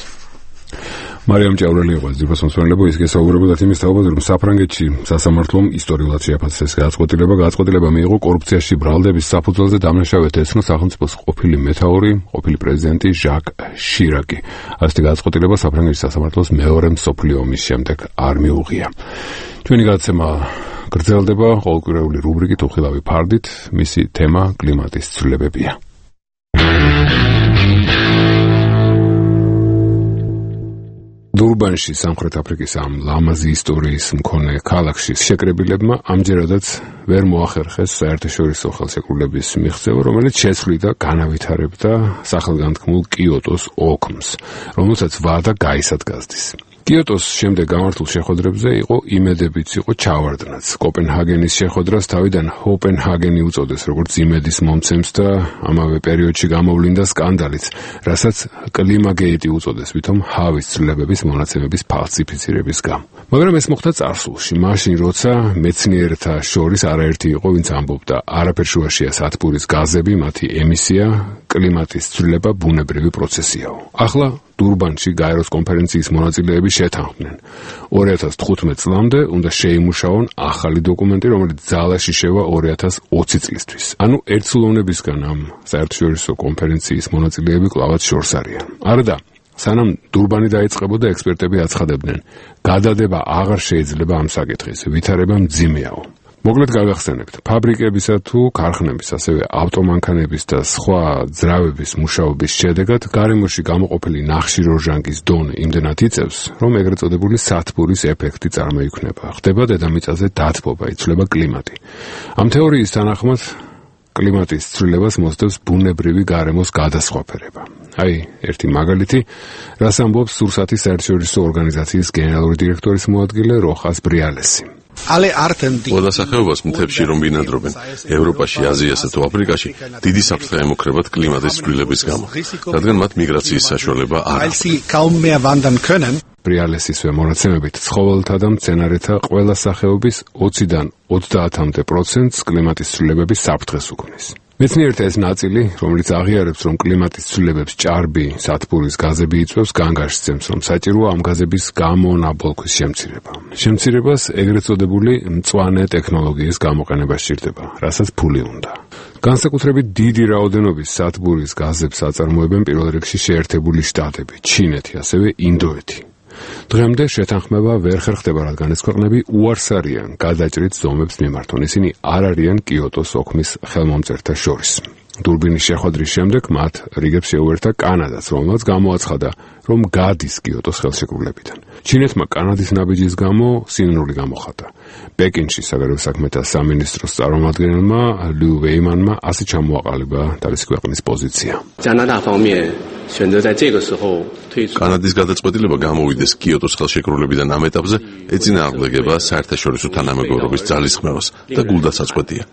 Speaker 1: მარიამ ჭაურელი იყო ძირფას მოსმენელებო, ის გესაუბრებოდათ იმის თაობაზე, რომ საფრანგეთში სასამართლომ ისტორიულად შეაფასეს გადაწყვეტილება მიიღო კორუფციაში ბრალდების საფუძველზე დამნაშავედ ეცნო სახელმწიფოს ყოფილი მეთაური, ყოფილი პრეზიდენტი ჟაკ შირაკი. ასეთი გადაწყვეტილება საფრანგეთის სასამართლოს მეორე მსოფლიო ომის შემდეგ არ მიუღია. ჩვენი გადაცემა გრძელდება ყოველკვირეული რუბრიკით უხილავი ფარდით, მისი თემა კლიმატის ცვლილებებია. დურბანში სამხრეთ აფრიკის ამ ლამაზი ისტორიის მქონე ქალაქში შეკრებილებმა ამჯერადაც ვერ მოახერხეს საერთაშორისო ხელშეკრულების მიღწევა, რომელიც შეცვლიდა განავითარებდა სახელგანთქმულ კიოტოს ოგმს, რომელსაც ვადა გაისადგაზდის. კიოტოს შემდეგ გამართულ შეხვედრებზე იყო იმედებიც, იყო ჩავარდნაც. კოპენჰაგენის შეხვედრას თავიდან ჰოპენჰაგენი უწოდეს, როგორც იმედის მომცემს და ამავე პერიოდში გამოვლინდა სკანდალიც, რასაც კლიმაგეიტი უწოდეს, ვითომ ჰავის ცვლილებების მონაცემების ფალსიფიცირების გამო. მაგრამ ეს მოხდა წარსულში, მაშინ როცა მეცნიერთა შორის არაერთი იყო, ვინც ამბობდა, არაფერ შუაშია სათბურის გაზები, მათი ემისია, კლიმატის ცვლილება ბუნებრივი პროცესიაო. ახლა დურბანში გაეროს კონფერენციის მონაწილეები შეთანხმდნენ. 2015 წლამდე უნდა შეიმუშაონ ახალი დოკუმენტი, რომელიც ძალაში შევა 2020 წლისთვის. ანუ ერთსულოვნებისგან ამ საერთაშორისო კონფერენციის მონაწილეები კვლავაც შორს არიან. არადა, სანამ დურბანი დაიწყებოდა, ექსპერტები აცხადებდნენ, გადადება აღარ შეიძლება ამ საკითხის, ვითარება მძიმეაო. მოკლედ გავახსენებთ, ფაბრიკებისა თუ ქარხნების, ასევე ავტომანქანების და სხვა ძრავების მუშაობის შედეგად გარემოში გამოყოფილი ნახშირორჟანგის დონე იმდენად იწევს, რომ ეგრეთ წოდებული სათბურის ეფექტი წარმოიქმნება. ხდება დედამიწაზე დათბობა, იცვლება კლიმატი. ამ თეორიის თანახმად კლიმატის ცვლილებას მოსდევს ბუნებრივი გარემოს გადასხვაფერება. აი, ერთი მაგალითი, რას ამბობს სურსათის საერთაშორისო ორგანიზაციის გენერალური დირექტორის მოადგილე როხას ბრიალესი.
Speaker 7: ყველა სახეობას მთებში რომ ბინადრობენ, ევროპაში, აზიასა თუ აფრიკაში დიდი საფრთხე ემუქრებათ კლიმატის ცვლილების გამო, რადგან მათ მიგრაციის საშუალება არ აქვს.
Speaker 1: ბრიალესისვე მონაცემებით, ცხოველთა და მცენარეთა ყველა სახეობის 20-დან 30-მდე პროცენტს კლიმატის ცვლილებების საფრთხეს უქმნის. მეცნიერთა ეს ნაწილი, რომელიც აღიარებს, რომ კლიმატის ცვლილებებს ჭარბი სათბურის გაზები იწვევს, განგაშცემს, რომ საჭიროა ამ გაზების გამონაბოლქვის შემცირება. შემცირებას ეგრეთ წოდებული მწვანე ტექნოლოგიის გამოყენება სჭირდება, რასაც ფული უნდა. განსაკუთრებით დიდი რაოდენობის სათბურის გაზებს აწარმოებენ პირველ რიგში შეერთებული შტატები, ჩინეთი, ასევე ინდოეთი. დღემდე შეთანხმება ვერ ხერხდება, რადგან ეს ქვეყნები უარს არიან გადაჭრით ზომებს მიმართონ. ისინი არ არიან კიოტოს ოქმის ხელმომწერთა შორის. დურბინის შეხვედრის შემდეგ მათ რიგებს შეუერთა კანადაც, რომელმაც გამოაცხადა, რომ გადის კიოტოს ხელშეკრულებიდან. ჩინეთმა კანადის ნაბიჯის გამო სინანული გამოხატა. პეკინში საგარეო საქმეთა სამინისტროს წარმომადგენელმა ლიუ ვეიმანმა ასე ჩამოაყალიბა თავისი ქვეყნის პოზიცია.
Speaker 7: კანადის გადაწყვეტილება გამოვიდეს კიოტოს ხელშეკრულებიდან ამ ეტაპზე ეწინააღმდეგება საერთაშორისო თანამეგობრობის ძალისხმევას და გულდასაწყვეტია.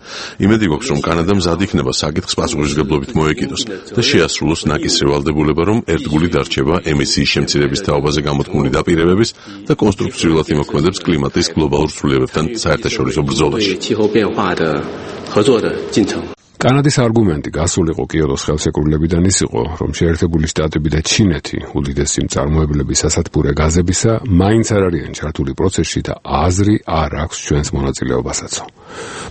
Speaker 7: იმედი გვაქვს, რომ კანადა მზად იქნება საკითხს პასუხისმგებლობით მოეკიდოს და შეასრულოს ნაკისრი ვალდებულება, რომ ერთგული დარჩება ემისიის შემცირების თაობაზე გამოთქმული დაპირებების და კონსტრუქციულად იმოქმედებს კლიმატის გლობალურ ცვლილებებთან საერთაშორისო ბრძოლაში.
Speaker 1: კანადის არგუმენტი გასულიყო კიოტოს ხელშეკრულებიდან ის იყო, რომ შეერთებული შტატები და ჩინეთი, უდიდესი მწარმოებლები სასათბურე გაზებისა, მაინც არ არიან ჩართული პროცესში და აზრი არ აქვს ჩვენს მონაწილეობასაც.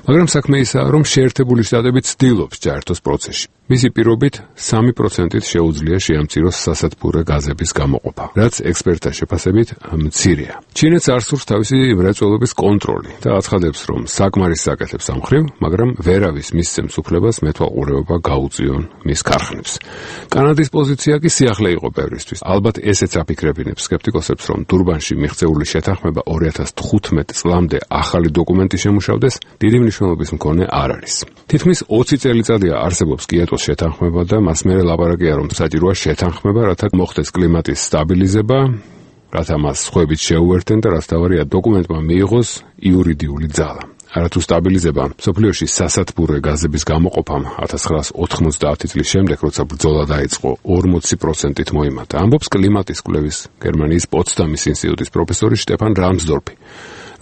Speaker 1: მაგრამ საქმე ისაა, რომ შეერთებული შტატები ცდილობს ჩაერთოს პროცესში. მისი პირობით 3%-ით შეუძლია შეამციროს სასათბურე გაზების გამოყოფა, რაც ექსპერტთა შეფასებით მცირეა. ჩინეთს არ სურს თავისი მრეწველობის კონტროლი და აცხადებს, რომ საკმარის საკეთებს ამ მხრივ, მაგრამ ვერავის მისცემს უფლებას მეთვალყურეობა გაუწიონ მის ქარხნებს. კანადის პოზიცია კი სიახლე იყო ბევრისთვის. ალბათ ესეც აფიქრებინებს სკეპტიკოსებს, რომ დურბანში მიღწეული შეთანხმება 2015 წლამდე ახალი დოკუმენტი შემუშავდეს, დიდი მნიშვნელობის მქონე არ არის. თითქმის 20 წელიწადია არსებობს კიოტოს შეთანხმება და მას მერე ლაპარაკია, რომ საჭიროა შეთანხმება, რათა მოხდეს კლიმატის სტაბილიზება, რათა მას სხვებით შეუერთენ და რაც თავარია დოკუმენტმა მიიღოს იურიდიული ძალა. არათუ სტაბილიზება მსოფლიოში სასათბურე გაზების გამოყოფამ 1990 წლის შემდეგ, როცა ბრძოლა დაიწყო, 40%-ით მოიმატა. ამბობს კლიმატის კვლევის გერმანიის პოცდამის ინსტიტუტის პროფესორი შტეფან რამსდორფი,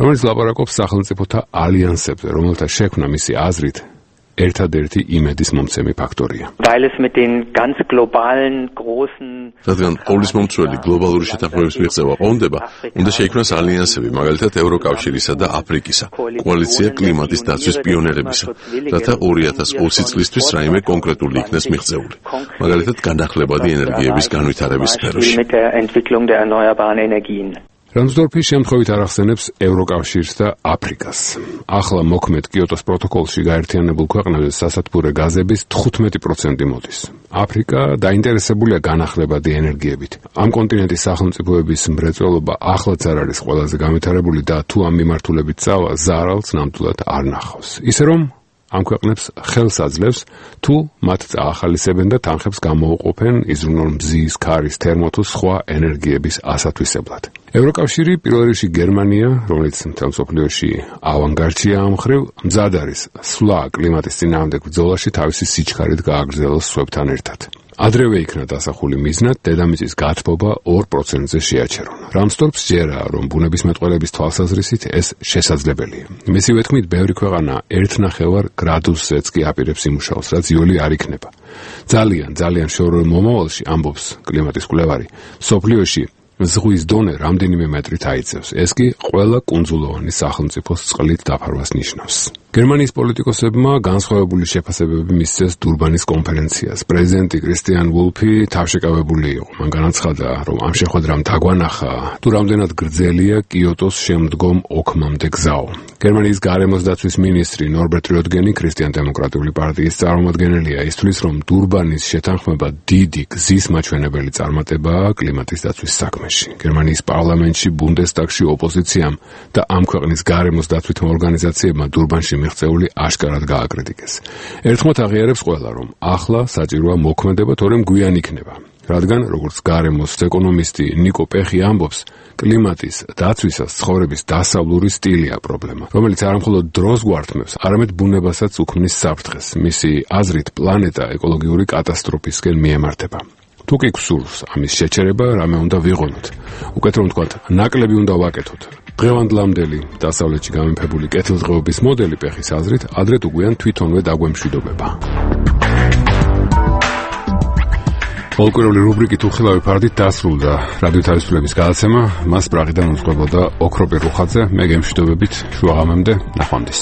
Speaker 1: რომელიც ლაპარაკობს სახელმწიფოთა ალიანსებზე, რომელთა შექმნა მისი აზრით ერთადერთი იმედის მომცემი ფაქტორია.
Speaker 7: რადგან ყოვლის მომცველი გლობალური შეთანხმების მიღწევა ყონდება, უნდა შეიქმნას ალიანსები, მაგალითად ევროკავშირისა და აფრიკისა, კოალიცია კლიმატის დაცვის პიონერებისა, რათა 2020 წლისთვის რაიმე კონკრეტული იქნეს მიღწეული, მაგალითად განახლებადი ენერგიების განვითარების სფეროში.
Speaker 1: რამსდორფი შემთხვევით არ ახსენებს ევროკავშირს და აფრიკას. ახლა მოქმედ კიოტოს პროტოკოლში გაერთიანებულ ქვეყნებზე სასათბურე გაზების 15% მოდის. აფრიკა დაინტერესებულია განახლებადი ენერგიებით. ამ კონტინენტის სახელმწიფოების მრეწველობა ახლაც არ არის ყველაზე განვითარებული და თუ ამ მიმართულებით წავა ზარალს ნამდვილად არ ნახავს. ისე რომ ამ ქვეყნებს ხელს აძლევს, თუ მათ წაახალისებენ და თანხებს გამოუყოფენ იზრუნონ მზის, ქარის, თერმო თუ სხვა ენერგიების ასათვისებლად. ევროკავშირი, პირველ რიგში გერმანია, რომელიც მთელ მსოფლიოში ავანგარდშია ამ მხრივ, მზად არის სვლა კლიმატის წინააღმდეგ ბრძოლაში თავისი სიჩქარით გააგრძელოს სხვებთან ერთად. ადრევე იქნა დასახული მიზნად დედამიწის გათბობა 2%-ზე შეაჩერონ. რამსდორფს ჯერა, რომ ბუნებისმეტყველების თვალსაზრისით ეს შესაძლებელია. მისივე თქმით, ბევრი ქვეყანა 1,5 გრადუსზეც კი აპირებს იმუშაოს, რაც იოლი არ იქნება. ძალიან შორეულ მომავალში, ამბობს კლიმატის კვლევარი, მსოფლიოში ზღვის დონე რამდენიმე მეტრით აიწევს. ეს კი ყველა კუნძულოვანი სახელმწიფოს წყლით დაფარვას ნიშნავს. გერმანიის პოლიტიკოსებმა განსხვავებული შეფასებები მისცეს დურბანის კონფერენციას. პრეზიდენტი კრისტიან ვულფი თავშეკავებული იყო. მან განაცხადა, რომ ამ შეხვედრამ დაგვანახა, თუ რამდენად გრძელია კიოტოს შემდგომ ოქმამდე გზაო. გერმანიის გარემოს დაცვის მინისტრი ნორბერტ რიოტგენი, ქრისტიან-დემოკრატიული პარტიის წარმომადგენელია, ისთვის, რომ დურბანის შეთანხმება დიდი გზის მაჩვენებელი წარმატებაა კლიმატის დაცვის საქმეში. გერმანიის პარლამენტში, ბუნდესტაგში ოპოზიციამ და ამ ქვეყნის გარემოს დაცვითმა ორგანიზაციებმა დურბანში მიღწეული აშკარად გააკრიტიკეს. ერთხმად აღიარებს ყველა, რომ ახლა საჭიროა მოქმედება, თორემ გვიან იქნება. რადგან, როგორც გარემოს ეკონომისტი ნიკო პეხი ამბობს, კლიმატის დაცვისას ცხოვრების დასავლური სტილია პრობლემა, რომელიც არამხოლოდ დროს გვართმევს, არამედ ბუნებასაც უქმნის საფრთხეს. მისი აზრით, პლანეტა ეკოლოგიური კატასტროფისკენ მიემართება. თუ კი გსურს ამის შეჩერება, რამე უნდა ვიღონოთ. უკეთ რომ ვთქვათ, ნაკლები უნდა ვაკეთოთ. დღევანდლამდელი დასავლეთში გამეფებული კეთილდღეობის მოდელი პეხის აზრით, ადრე თუ გვიან თვითონვე დაგვემშვიდობება. ფოლკლორული რუბრიკით უხილავი ფარდით დასრულდა რადიო თავისუფლების გადაცემა. მას პრაღიდან უძღვებოდა ოქროპირ რუხაძე. მე გემშვიდობებით შუაღამემდე, ნახვამდის.